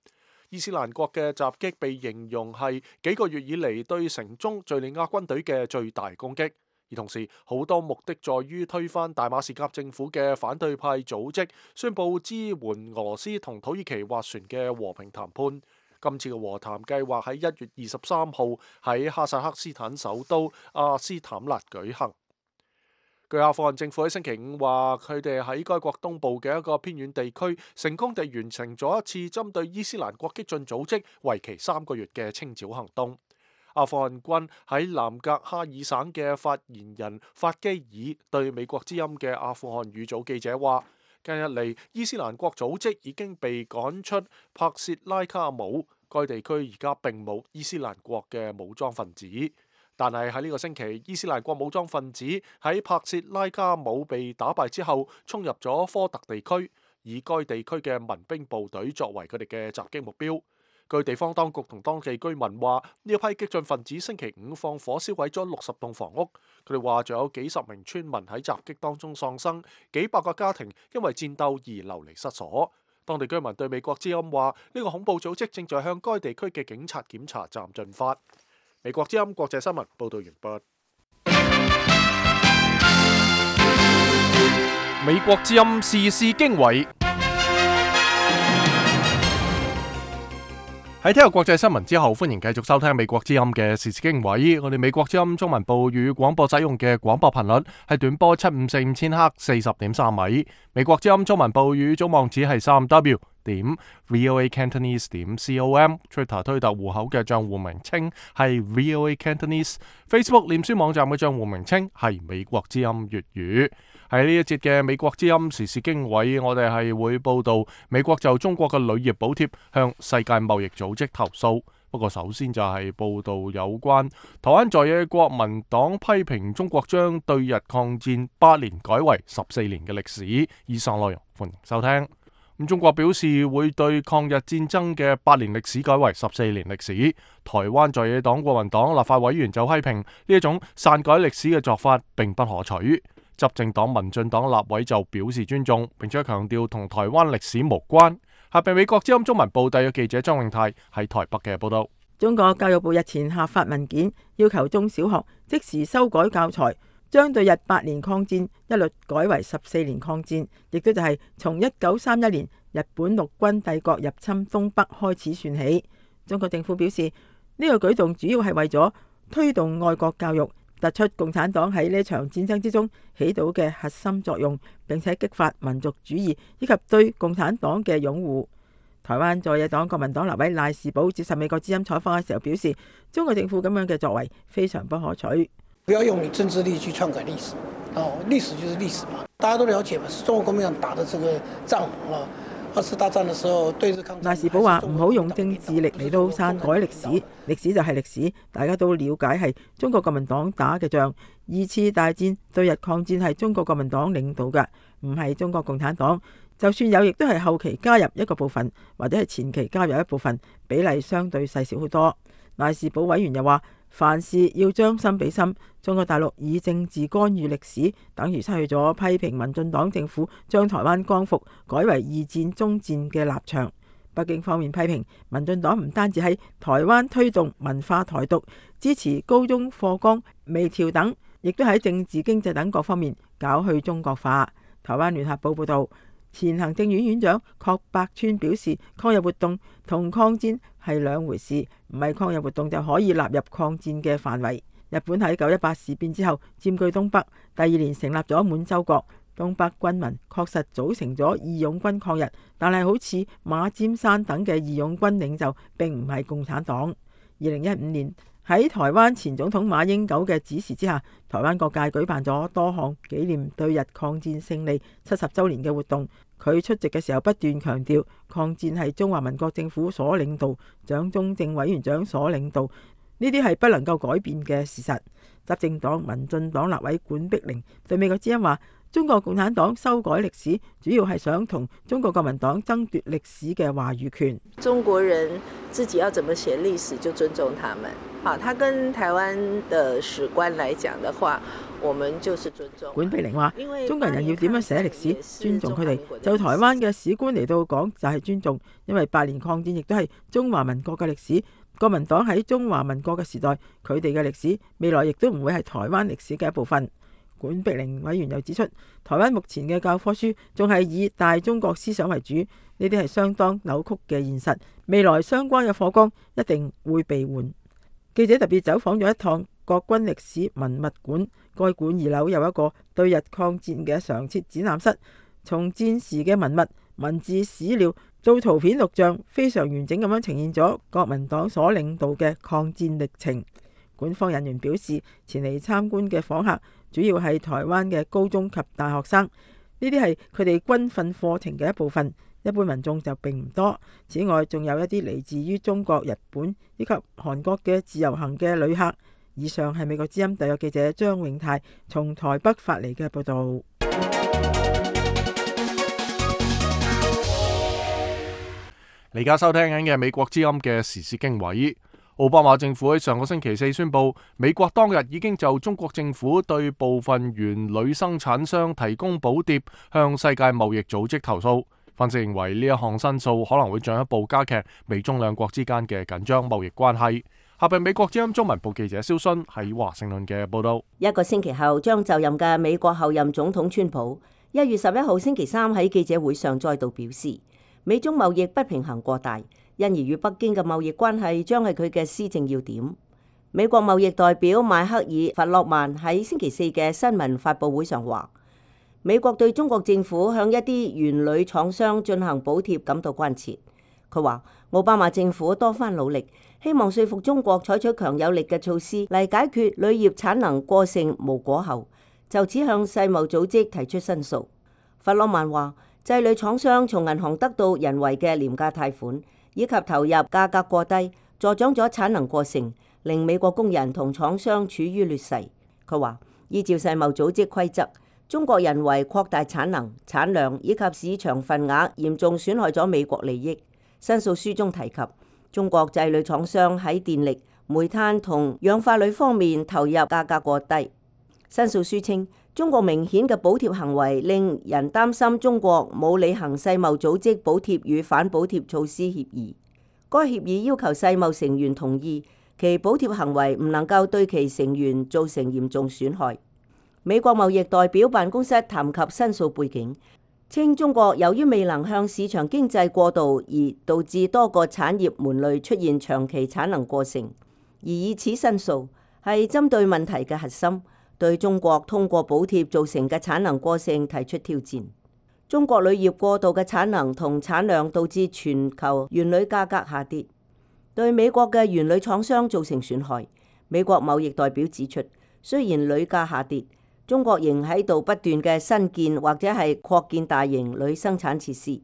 伊斯蘭國嘅襲擊被形容係幾個月以嚟對城中敘利亞軍隊嘅最大攻擊，而同時好多目的在於推翻大馬士革政府嘅反對派組織宣布支援俄羅斯同土耳其斡旋嘅和平談判。今次嘅和談計劃喺1月23號喺哈薩克斯坦首都阿斯坦納舉行。據阿富汗政府喺星期5話，佢哋喺該國東部嘅一個偏遠地區成功地完成咗一次針對伊斯蘭國激進組織為期3個月嘅清剿行動。阿富汗軍喺南格哈爾省嘅發言人法基爾對美國之音嘅阿富汗語組記者話：近日嚟，伊斯蘭國組織已經被趕出帕薛拉卡姆，該地區而家並冇伊斯蘭國嘅武裝分子。但係喺呢個星期，伊斯蘭國武裝分子喺帕薛拉卡姆被打敗之後，衝入咗科特地區，以該地區嘅民兵部隊作為佢哋嘅襲擊目標。據地方當局同當地居民話，呢一批激進分子星期五放火燒毀咗60棟房屋。佢哋話仲有幾十名村民喺襲擊當中喪生，幾百個家庭因為戰鬥而流離失所。當地居民對美國之音話，呢個恐怖組織正在向該地區嘅警察檢查站進發。美國之音國際新聞報道完畢。美國之音時事經緯。喺聽日國際新聞之後，歡迎繼續收聽美國之音嘅時事經緯。我哋美國之音中文部語廣播使用嘅廣播頻率係短波754千赫40.3米。美國之音中文部語總網址係3w.voacantonese.com。Twitter 推特戶口嘅賬戶名稱係 VOA Cantonese。Facebook 臉書網站嘅賬戶名稱係美國之音粵語。喺呢一節嘅美國之音時事經緯，我哋係會報道美國就中國嘅鋁業補貼向世界貿易組織投訴。不過首先就係報道有關台灣在野國民黨批評中國將對日抗戰8年改為14年嘅歷史。以上內容歡迎收聽。中國表示會對抗日戰爭嘅8年歷史改為14年歷史。台灣在野黨國民黨立法委員就批評呢一種篡改歷史嘅做法並不可取。執政黨民進黨立委就表示尊重，並且強調同台灣歷史無關。下邊美國之音中文部特約記者張永泰喺台北嘅報道。中國教育部日前下發文件，要求中小學即時修改教材，將對日8年抗戰一律改為14年抗戰，亦都就係從1931年日本陸軍帝國入侵東北開始算起。中國政府表示，呢個舉動主要係為咗推動愛國教育，突出共產黨喺呢場戰爭之中起到嘅核心作用，並且激發民族主義以及對共產黨嘅擁護。台灣在野黨國民黨立委賴士葆接受美國之音採訪嘅時候表示，中國政府咁樣嘅作為非常不可取。不要用你政治力去篡改歷史，歷史就是歷史嘛，大家都了解嘛，是中國國民黨打的這個仗啊。2次大戰的時候，對日抗戰。賴士葆話：唔好用政治力嚟到篡改歷史，歷史就係歷史，大家都了解係中國國民黨打嘅仗。2次大戰對日抗戰係中國國民黨領導嘅，唔係中國共產黨。就算有，亦都係後期加入一個部分，或者係前期加入一部分，比例相對細小好多。賴士葆委員又話：凡事要將心比心，中國大陸以政治干預歷史，等於失去咗批評民進黨政府將台灣光復改為2戰終戰嘅立場。北京方面批評民進黨唔單止喺台灣推動文化台獨，支持高中課綱微調等，亦都喺政治經濟等各方面搞去中國化。台灣聯合報報道，前行政院院長郝柏村表示，抗日活動同抗戰係兩回事，唔係抗日活動就可以納入抗戰嘅範圍。日本喺9·18事變之後佔據東北，第2年成立咗滿洲國，東北軍民確實組成咗義勇軍抗日，但係好似馬占山等嘅義勇軍領袖並唔係共產黨。2015年喺台灣前總統馬英九嘅指示之下，台灣各界舉辦咗多項紀念對日抗戰勝利70週年嘅活動。佢出席嘅時候不斷強調，抗戰係中華民國政府所領導，蔣中正委員長所領導，呢啲係不能夠改變嘅事實。執政黨民進黨立委管碧玲對美國之音話：中國共產黨修改歷史，主要係想同中國國民黨爭奪歷史嘅話語權。中國人自己要怎麼寫歷史，就尊重他們。好，他跟台灣的史觀來講的話，我們就是尊重。管碧玲話：中國人要點樣寫歷史，尊重佢哋。就台灣嘅史觀嚟到講，就係尊重，因為8年抗戰亦都係中華民國嘅歷史。國民黨喺中華民國嘅時代，佢哋嘅歷史未來亦都唔會係台灣歷史嘅一部分。管碧玲委員又指出，台灣目前嘅教科書仲係以大中國思想為主，呢啲係相當扭曲嘅現實。未來相關嘅課綱一定會被換。記者特別走訪咗一趟國軍歷史文物館，該館2樓有一個對日抗戰嘅常設展覽室，從戰時嘅文物、文字、史料到圖片錄像，非常完整咁樣呈現咗國民黨所領導嘅抗戰歷程。館方人員表示，前嚟參觀嘅訪客主要係台灣嘅高中及大學生，呢啲係佢哋軍訓課程嘅一部分，一般民眾就並唔多。此外，仲有一啲嚟自於中國、日本以及韓國嘅自由行嘅旅客。以上係美國之音特約記者張永泰從台北發嚟嘅報道。你而家收聽緊嘅美國之音嘅時事經緯。奧巴馬政府喺上個星期四宣布，美國當日已經就中國政府對部分原鋁生產商提供補貼向世界貿易組織投訴。分析認為呢一項申訴可能會進一步加劇美中兩國之間嘅緊張貿易關係。下邊美國之音中文部記者蕭勳喺華盛頓嘅報道。一個星期後將就任嘅美國候任總統川普1月11號星期三喺記者會上再度表示，美中貿易不平衡過大，因而與北京嘅貿易關係將係佢嘅施政要點。美國貿易代表邁克爾·弗洛曼喺星期四嘅新聞發佈會上話，美國對中國政府向一啲原鋁廠商進行補貼感到關切。佢話奧巴馬政府多番努力，希望說服中國採取強有力嘅措施嚟解決鋁業產能過剩無果後，就此向世貿組織提出申訴。弗洛曼話，製鋁廠商從銀行得到人為嘅廉價貸款，以及投入價格過低，助長咗產能過剩，令美國工人同廠商處於劣勢。佢話，依照世貿組織規則，中國人為擴大產能、產量以及市場份額，嚴重損害咗美國利益。申訴書中提及，中國製鋁廠商喺電力、煤炭同氧化鋁方面投入價格過低。申訴書稱，中國明顯嘅補貼行為令人擔心中國冇履行世貿組織補貼與反補貼措施協議。該協議要求世貿成員同意其補貼行為唔能夠對其成員造成嚴重損害。美國貿易代表辦公室談及申訴背景，稱中國由於未能向市場經濟過渡而導致多個產業門類出現長期產能過剩，而以此申訴係針對問題嘅核心，對中國通過補貼造成嘅產能過剩提出挑戰。中國鋁業過度嘅產能同產量導致全球原鋁價格下跌，對美國嘅原鋁廠商造成損害。美國貿易代表指出，雖然鋁價下跌，中國仍喺度不斷嘅新建或者係擴建大型鋁生產設施。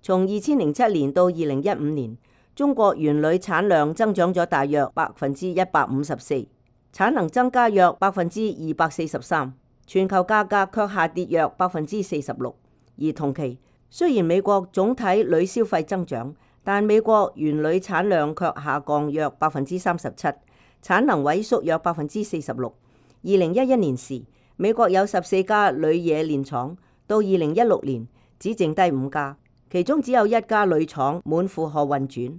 從2007年到2015年，中國原鋁產量增長咗大約154%，產能增加約243%，全球價格卻下跌約46%。而同期，雖然美國總體鋁消費增長，但美國原鋁產量卻下降約37%，產能萎縮約46%。2011年時，美國有14家鋁冶煉廠，到2016年只剩低5家，其中只有1家鋁廠滿負荷運轉。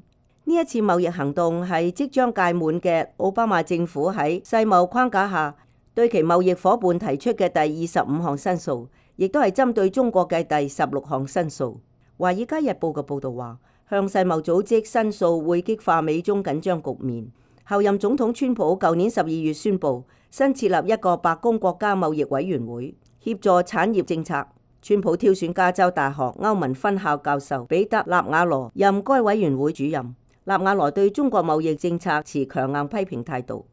呢一次貿易行動係即將屆滿嘅奧巴馬政府喺世貿框架下對其貿易夥伴提出嘅第25項申訴，亦都係針對中國嘅第16項申訴。華爾街日報嘅報導話，向世貿組織申訴會激化美中緊張局面。後任總統川普舊年12月宣布新設立一個白宮國家貿易委員會，協助產業政策。川普挑選加州大學歐文分校教授彼得納瓦羅任該委員會主任。納瓦羅對中國貿易政策持強硬批評態度。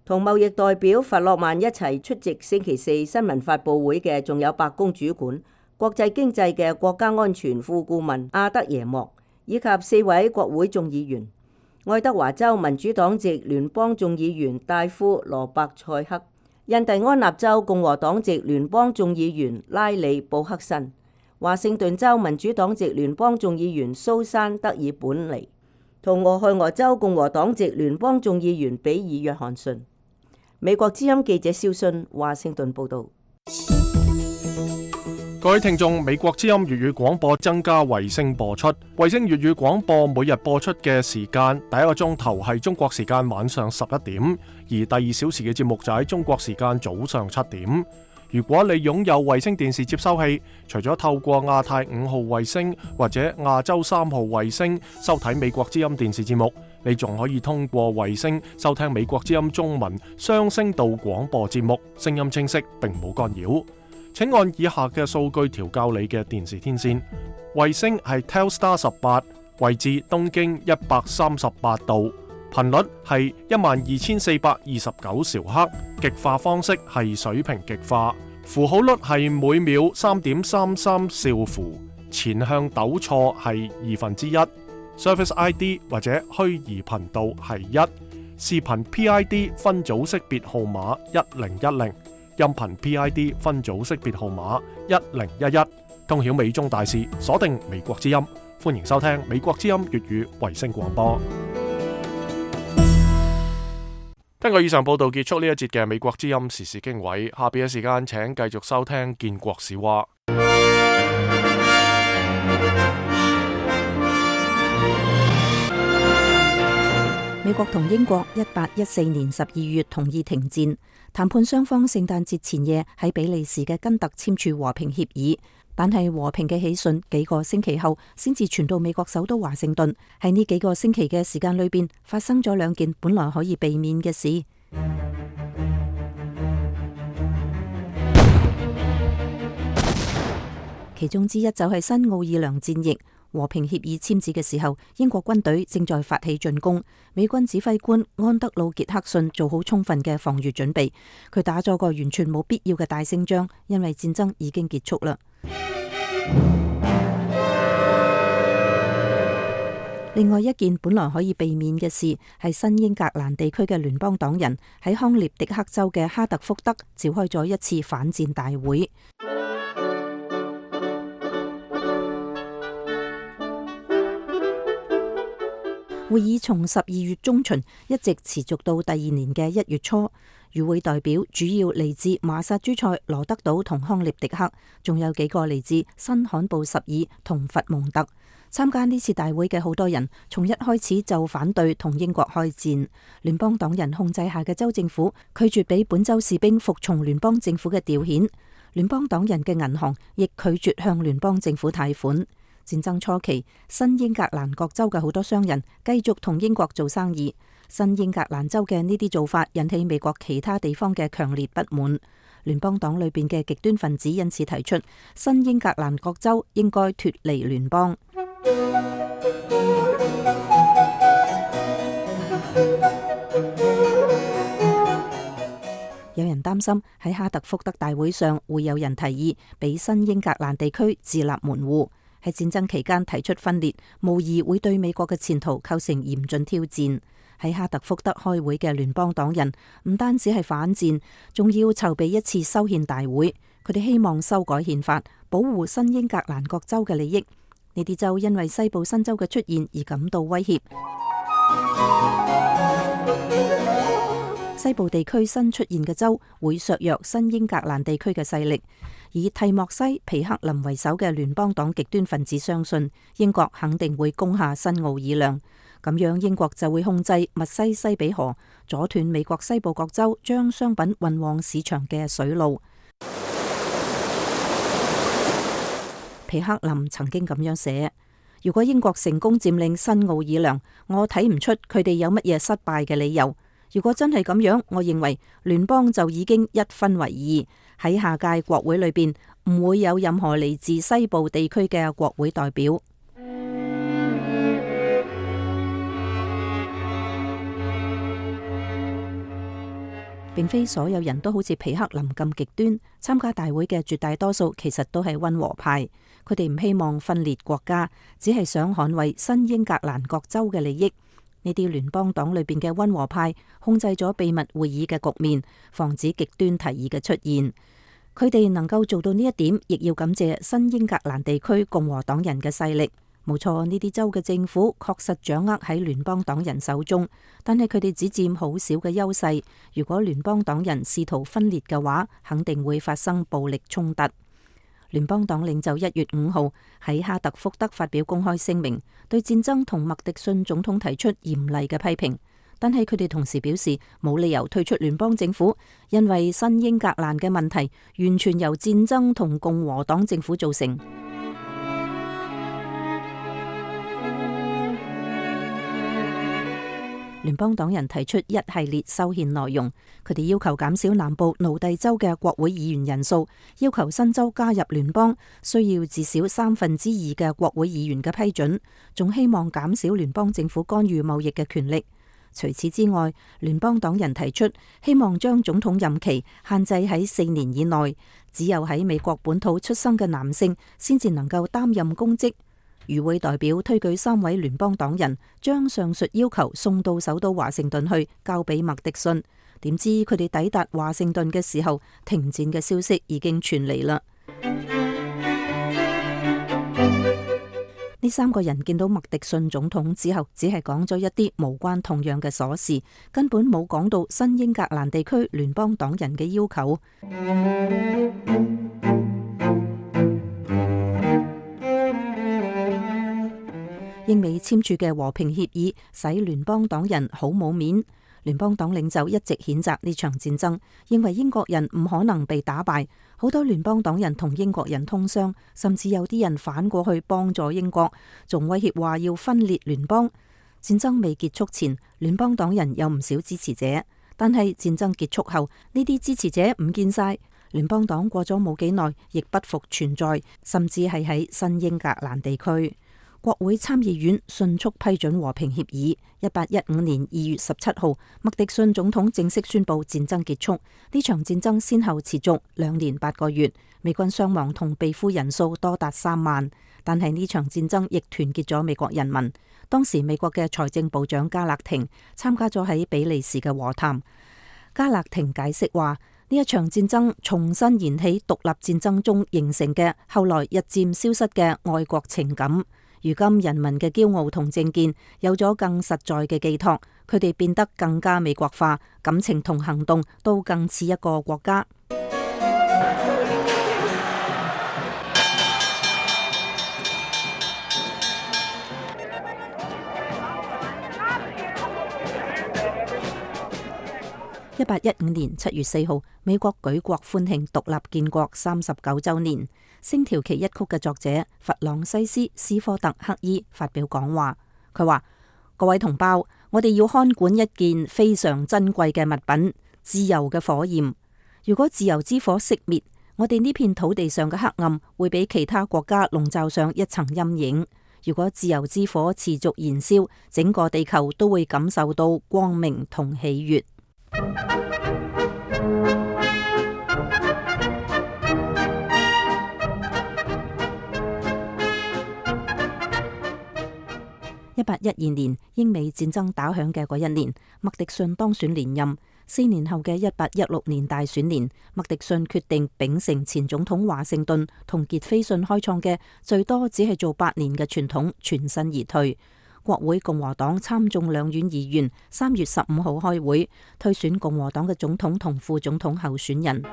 同貿易代表弗洛曼一齊出席星期四新聞發佈會嘅，仲有白宮主管國際經濟嘅國家安全副顧問阿德耶莫，以及4位國會眾議員：愛德華州民主黨籍聯邦眾議員戴夫羅伯塞克、印第安納州共和黨籍聯邦眾議員拉里布克森、華盛頓州民主黨籍聯邦眾議員蘇珊德爾本尼，同俄亥俄州共和黨籍聯邦眾議員比爾約翰遜。美國之音記者蕭勳華盛頓報道。各位聽眾，美國之音粵語廣播增加衛星播出。衛星粵語廣播每日播出嘅時間，第一個鐘頭係中國時間晚上11點，而第2小時嘅節目就喺中國時間早上7點。如果你擁有衛星電視接收器，除咗透過亞太5號衛星或者亞洲3號衛星收睇美國之音電視節目，你仲可以通過衛星收聽美國之音中文雙聲道廣播節目，聲音清晰並冇干擾。請按以下嘅數據調校你嘅電視天線。衛星係 Telstar 18，位置東經138度，頻率係12429兆赫，極化方式係水平極化，符號率係每秒3.33兆符，前向抖錯係1/2。Service ID 或者虛擬頻道係1，視頻 PID 分組識別號碼1010，音頻 PID 分組識別號碼1011。通曉美中大事，鎖定美國之音，歡迎收聽美國之音粵語衛星廣播。根據以上報道結束呢一節嘅美國之音時事經緯，下邊嘅時間請繼續收聽建國史話。美國同英國1814年12月同意停戰，談判雙方聖誕節前夜喺比利時嘅根特簽署和平協議，但係和平嘅喜訊幾個星期後先至傳到美國首都華盛頓。喺呢幾個星期嘅時間裏邊，發生咗兩件本來可以避免嘅事。其中之一就係新奧爾良戰役。和平協議簽字嘅時候，英國軍隊正在發起進攻，美軍指揮官安德魯傑克遜做好充分嘅防禦準備，佢打咗個完全冇必要嘅大勝仗，因為戰爭已經結束啦。另外一件本來可以避免嘅事，係新英格蘭地區嘅聯邦黨人喺康涅狄克州嘅哈特福德召開咗一次反戰大會。會議從12月中旬一直持續到第二年嘅1月初。與會代表主要嚟自馬薩諸塞、羅德島同康涅狄克，仲有幾個嚟自新罕布什爾同佛蒙特。參加呢次大會嘅好多人，從一開始就反對同英國開戰。聯邦黨人控制下嘅州政府拒絕俾本州士兵服從聯邦政府嘅調遣，聯邦黨人嘅銀行亦拒絕向聯邦政府貸款。戰爭初期，新英格蘭各州嘅好多商人繼續同英國做生意。新英格蘭州嘅呢啲做法引起美國其他地方嘅強烈不滿。聯邦黨裏邊嘅極端分子因此提出，新英格蘭各州應該脫離聯邦。有人擔心喺哈特福德大會上會有人提議俾新英格蘭地區自立門戶。喺戰爭期間提出分裂，無疑會對美國嘅前途構成嚴峻挑戰。喺哈特福德開會嘅聯邦黨人唔單止係反戰，仲要籌備一次修憲大會。佢哋希望修改憲法，保護新英格蘭各州嘅利益。呢啲州因為西部新州嘅出現而感到威脅。西部地區新出現嘅州會削弱新英格蘭地區嘅勢力。以蒂莫西、皮克林為首嘅聯邦黨極端分子相信，英國肯定會攻下新奧爾良，咁樣英國就會控制密西西比河，阻斷美國西部各州將商品運往市場嘅水路。皮克林曾經咁樣寫：如果英國成功佔領新奧爾良，我睇唔出佢哋有乜嘢失敗嘅理由。如果真係咁樣，我認為聯邦就已經一分為二，喺下屆國會裏邊唔會有任何嚟自西部地區嘅國會代表。並非所有人都好似皮克林咁極端，參加大會嘅絕大多數其實都係溫和派，佢哋唔希望分裂國家，只係想捍衛新英格蘭各州嘅利益。呢啲聯邦黨裏邊嘅溫和派控制咗秘密會議嘅局面，防止極端提議嘅出現。佢哋能夠做到呢一點，亦要感謝新英格蘭地區共和黨人嘅勢力。冇錯，呢啲州嘅政府確實掌握喺聯邦黨人手中，但係佢哋只佔好少嘅優勢。如果聯邦黨人試圖分裂嘅話，肯定會發生暴力衝突。聯邦黨領袖1月5號喺哈特福德發表公開聲明，對戰爭同麥迪遜總統提出嚴厲嘅批評，但係佢哋同時表示冇理由退出聯邦政府，因為新英格蘭嘅問題完全由戰爭同共和黨政府造成。聯邦黨人提出一系列修憲內容，佢哋要求減少南部奴隸州嘅國會議員人數，要求新州加入聯邦需要至少2/3嘅國會議員嘅批准，仲希望減少聯邦政府干預貿易嘅權力。除此之外，聯邦黨人提出希望將總統任期限制喺4年以內，只有喺美國本土出生嘅男性先至能夠擔任公職。與會代表推舉3位聯邦黨人，將上述要求送到首都華盛頓去，交俾麥迪遜。點知佢哋抵達華盛頓嘅時候，停戰嘅消息已經傳嚟啦。呢3個人見到麥迪遜總統之後，只係講咗一啲無關痛癢嘅瑣事，根本冇講到新英格蘭地區聯邦黨人嘅要求。英美簽署嘅和平協議使聯邦黨人好冇面。聯邦黨領袖一直譴責呢場戰爭，認為英國人唔可能被打敗。好多聯邦黨人同英國人通商，甚至有啲人反過去幫助英國，仲威脅話要分裂聯邦。戰爭未結束前，聯邦黨人有唔少支持者，但係戰爭結束後，呢啲支持者唔見晒。聯邦黨過咗冇幾耐，亦不復存在，甚至係喺新英格蘭地區。國會參議院迅速批准和平協議。1815年2月17號，麥迪遜總統正式宣布戰爭結束。呢場戰爭先後持續2年8個月，美軍傷亡同被俘人數多達3萬。但係呢場戰爭亦團結咗美國人民。當時美國嘅財政部長加勒廷參加咗喺比利時嘅和談。加勒廷解釋話，呢一場戰爭重新燃起獨立戰爭中形成嘅後來日漸消失嘅愛國情感。如今人民嘅驕傲同政見有咗更實在嘅寄託，佢哋變得更加美國化，感情同行動都更似一個國家。1815年7月4號，美國舉國歡慶獨立建國39週年。星條旗一曲嘅作者弗朗西斯斯科特克伊發表講話，佢話：各位同胞，我哋要看管一件非常珍貴嘅物品——自由嘅火焰。如果自由之火熄滅，我哋呢片土地上嘅黑暗會俾其他國家籠罩上一層陰影。如果自由之火持續燃燒，整個地球都會感受到光明同喜悅。1812年，英美戰爭打響嘅嗰一年，麥迪遜當選連任。4年後嘅1816年大選年，麥迪遜決定秉承前總統華盛頓同傑斐遜開創嘅最多只係做8年嘅傳統，全身而退。國會共和黨參眾兩院議員3月15號開會，推選共和黨嘅總統同副總統候選人。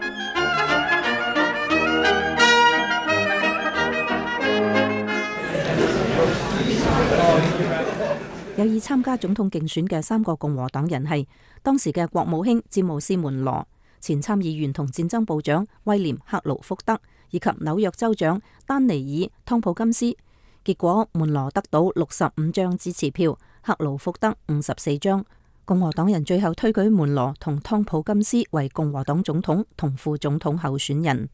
有意參加總統競選嘅3個共和黨人係當時嘅國務卿詹姆斯門羅、前參議員同戰爭部長威廉克勞福德以及紐約州長丹尼爾湯普金斯。結果門羅得到65張支持票，克勞福德54張。共和黨人最後推舉門羅同湯普金斯為共和黨總統同副總統候選人。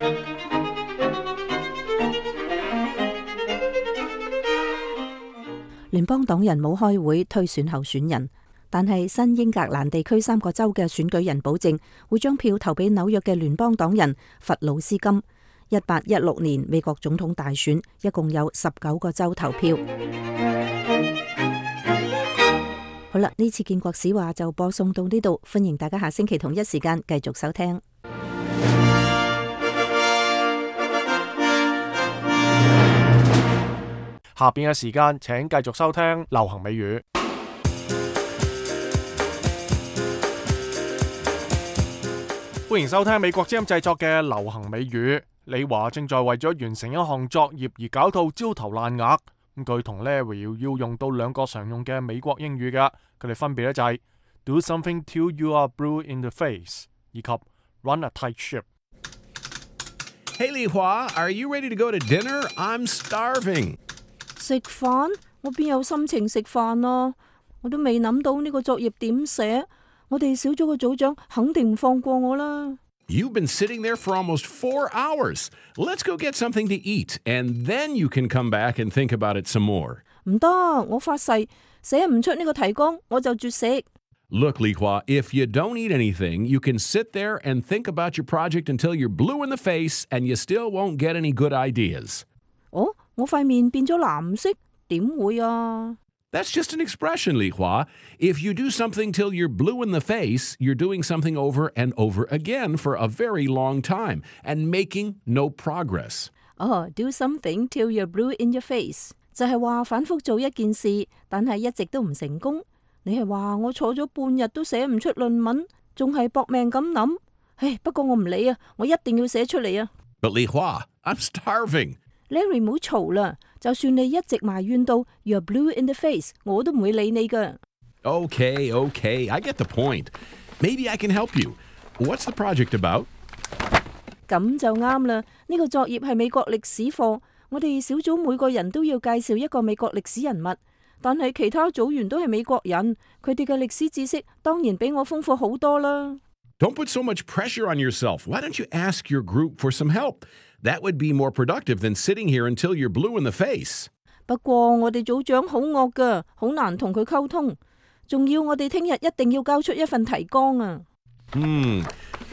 聯邦黨人冇開會推選候選人，但係新英格蘭地區3個州嘅選舉人保證會將票投俾紐約嘅聯邦黨人弗魯斯金。1816年美國總統大選一共有19個州投票。好啦，呢次建國史話就播送到呢度，歡迎大家下星期同一時間繼續收聽。下邊嘅時間，請繼續收聽流行美語。歡迎收聽美國之音製作嘅流行美語。李華正在為咗完成一項作業而搞到焦頭爛額。咁佢同 Larry 要用到2個常用嘅美國英語嘅，佢哋分別咧就係 Do something till you are blue in the face 以及 Run a tight ship。Hey 李華 are you ready to go to dinner? I'm starving。食飯？我邊有心情食飯啊？我都未諗到呢個作業點寫。我哋小組嘅組長肯定唔放過我啦。You've been sitting there for almost 4 hours. Let's go get something to eat, and then you can come back and think about it some more. 唔得，我發誓寫唔出呢個提綱，我就絕食。Look, Li Hua, if you don't eat anything, you can sit there and think about your project until you're blue in the face and you still won't get any good ideas. 哦，我塊面變咗藍色，點會啊？ That's just an expression, Li Hua. If you do something till you're blue in the face, you're doing something over and over again for a very long time and making no progress. 哦 ，do something till you're blue in your face 就係話反覆做一件事，但係一直都唔成功。你係話我坐咗半日都寫唔出論文，仲係搏命咁諗。唉，不過我唔理啊，我一定要寫出嚟啊。But Li Hua, I'm starving. Larry 唔好嘈啦，就算你一直埋怨到 you're blue in the face， 我都唔會理你噶。Okay, I get the point. Maybe I can help you. What's the project about? 咁就啱啦，呢個作業係美國歷史課，我哋小組每個人都要介紹一個美國歷史人物。但係其他組員都係美國人，佢哋嘅歷史知識當然比我豐富好多啦。Don't put so much pressure on yourself. Why don't you ask your group for some help? That would be more productive than sitting here until you're blue in the face. 不過我哋組長好惡噶，好難同佢溝通，仲要我哋聽日一定要交出一份提綱啊。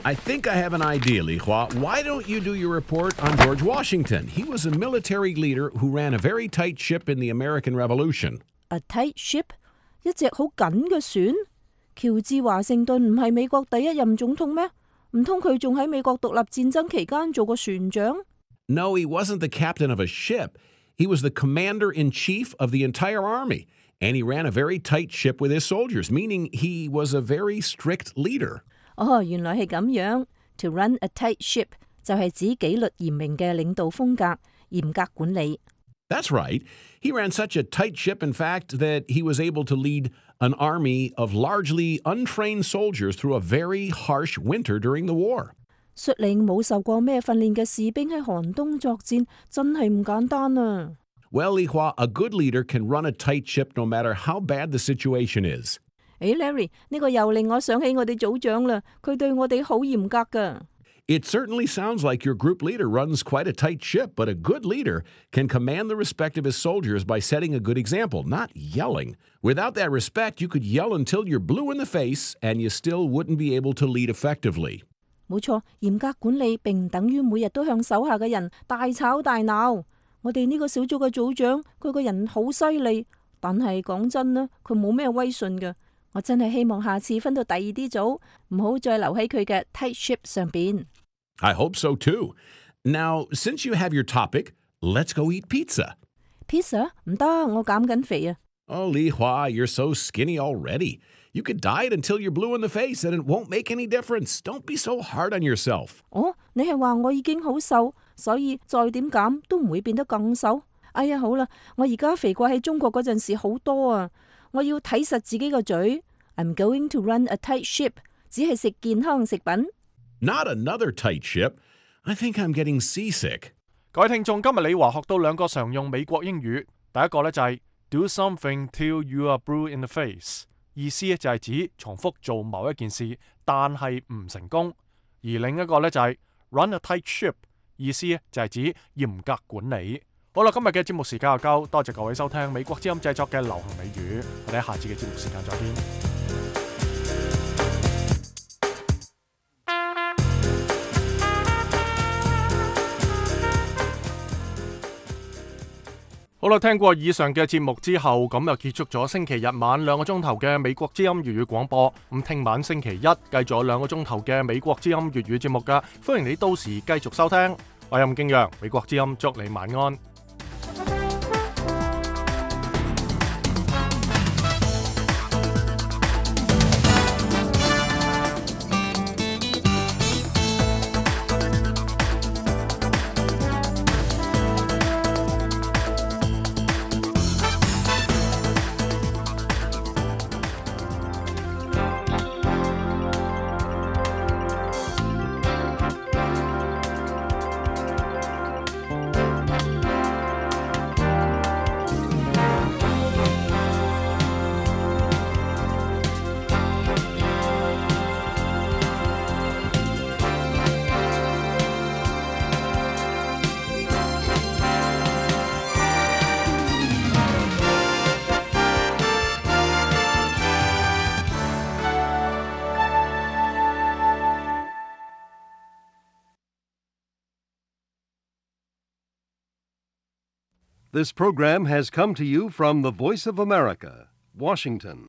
I think I have an idea, Li Hua. Why don't you do your report on George Washington? He was a military leader who ran a very tight ship in the American Revolution. A tight ship？ 一隻好緊嘅船？喬治華盛頓唔係美國第一任總統咩？唔通佢仲喺美國獨立戰爭期間做過船長？ No, he wasn't the captain of a ship. He was the commander-in-chief of the entire army. And he ran a very tight ship with his soldiers, meaning he was a very strict leader. 哦，原來係咁樣。To run a tight ship 就係指紀律嚴明嘅領導風格，嚴格管理。That's right. He ran such a tight ship, in fact, that he was able to lead an army of largely untrained soldiers through a very harsh winter during the war. 率領冇受過咩訓練嘅士兵喺寒冬作戰，真係唔簡單啊！ Well, Li Hua, a good leader can run a tight ship no matter how bad the situation is. 誒 Larry， 呢個又令我想起我哋組長啦，佢對我哋好嚴格㗎。It certainly sounds like your group leader runs quite a tight ship, but a good leader can command the respect of his soldiers by setting a good example, not yelling. Without that respect, you could yell until you're blue in the face, and you still wouldn't be able to lead effectively. 冇錯，嚴格管理並唔等於每日都向手下嘅人大吵大鬧。我哋呢個小組嘅組長，佢個人好犀利，但係講真啦，佢冇咩威信㗎。我真係希望下次分到第二啲組，唔好再留喺佢嘅 tight ship 上邊。I hope so too. Now, since you have your topic, let's go eat pizza. Pizza? 唔得，我減緊肥啊。Oh, Li Hua, you're so skinny already. You could diet until you're blue in the face and it won't make any difference. Don't be so hard on yourself. 哦，你係話我已經好瘦，所以再點減都唔會變得更瘦？哎呀，好啦，我而家肥過喺中國嗰陣時好多啊！我要睇實自己個嘴。I'm going to run a tight ship， 只係食健康食品。Not another tight ship. I think I'm getting seasick. 各位聽眾，今日李華學到兩個常用美國英語。第一個呢就係 do something till you are blue in the face， 意思就係指重複做某一件事，但係唔成功。而另一個呢就係 run a tight ship， 意思就係指嚴格管理。好啦，今日嘅節目時間又夠，多謝各位收聽美國之音製作嘅流行美語，我哋喺下次嘅節目時間再見。好啦，聽過以上嘅節目之後，咁就結束咗星期日晚2個鐘頭嘅美國之音粵語廣播。咁聽晚星期一繼續有2個鐘頭嘅美國之音粵語節目㗎，歡迎你到時繼續收聽。我係任敬陽，美國之音祝你晚安。This program has come to you from the Voice of America, Washington.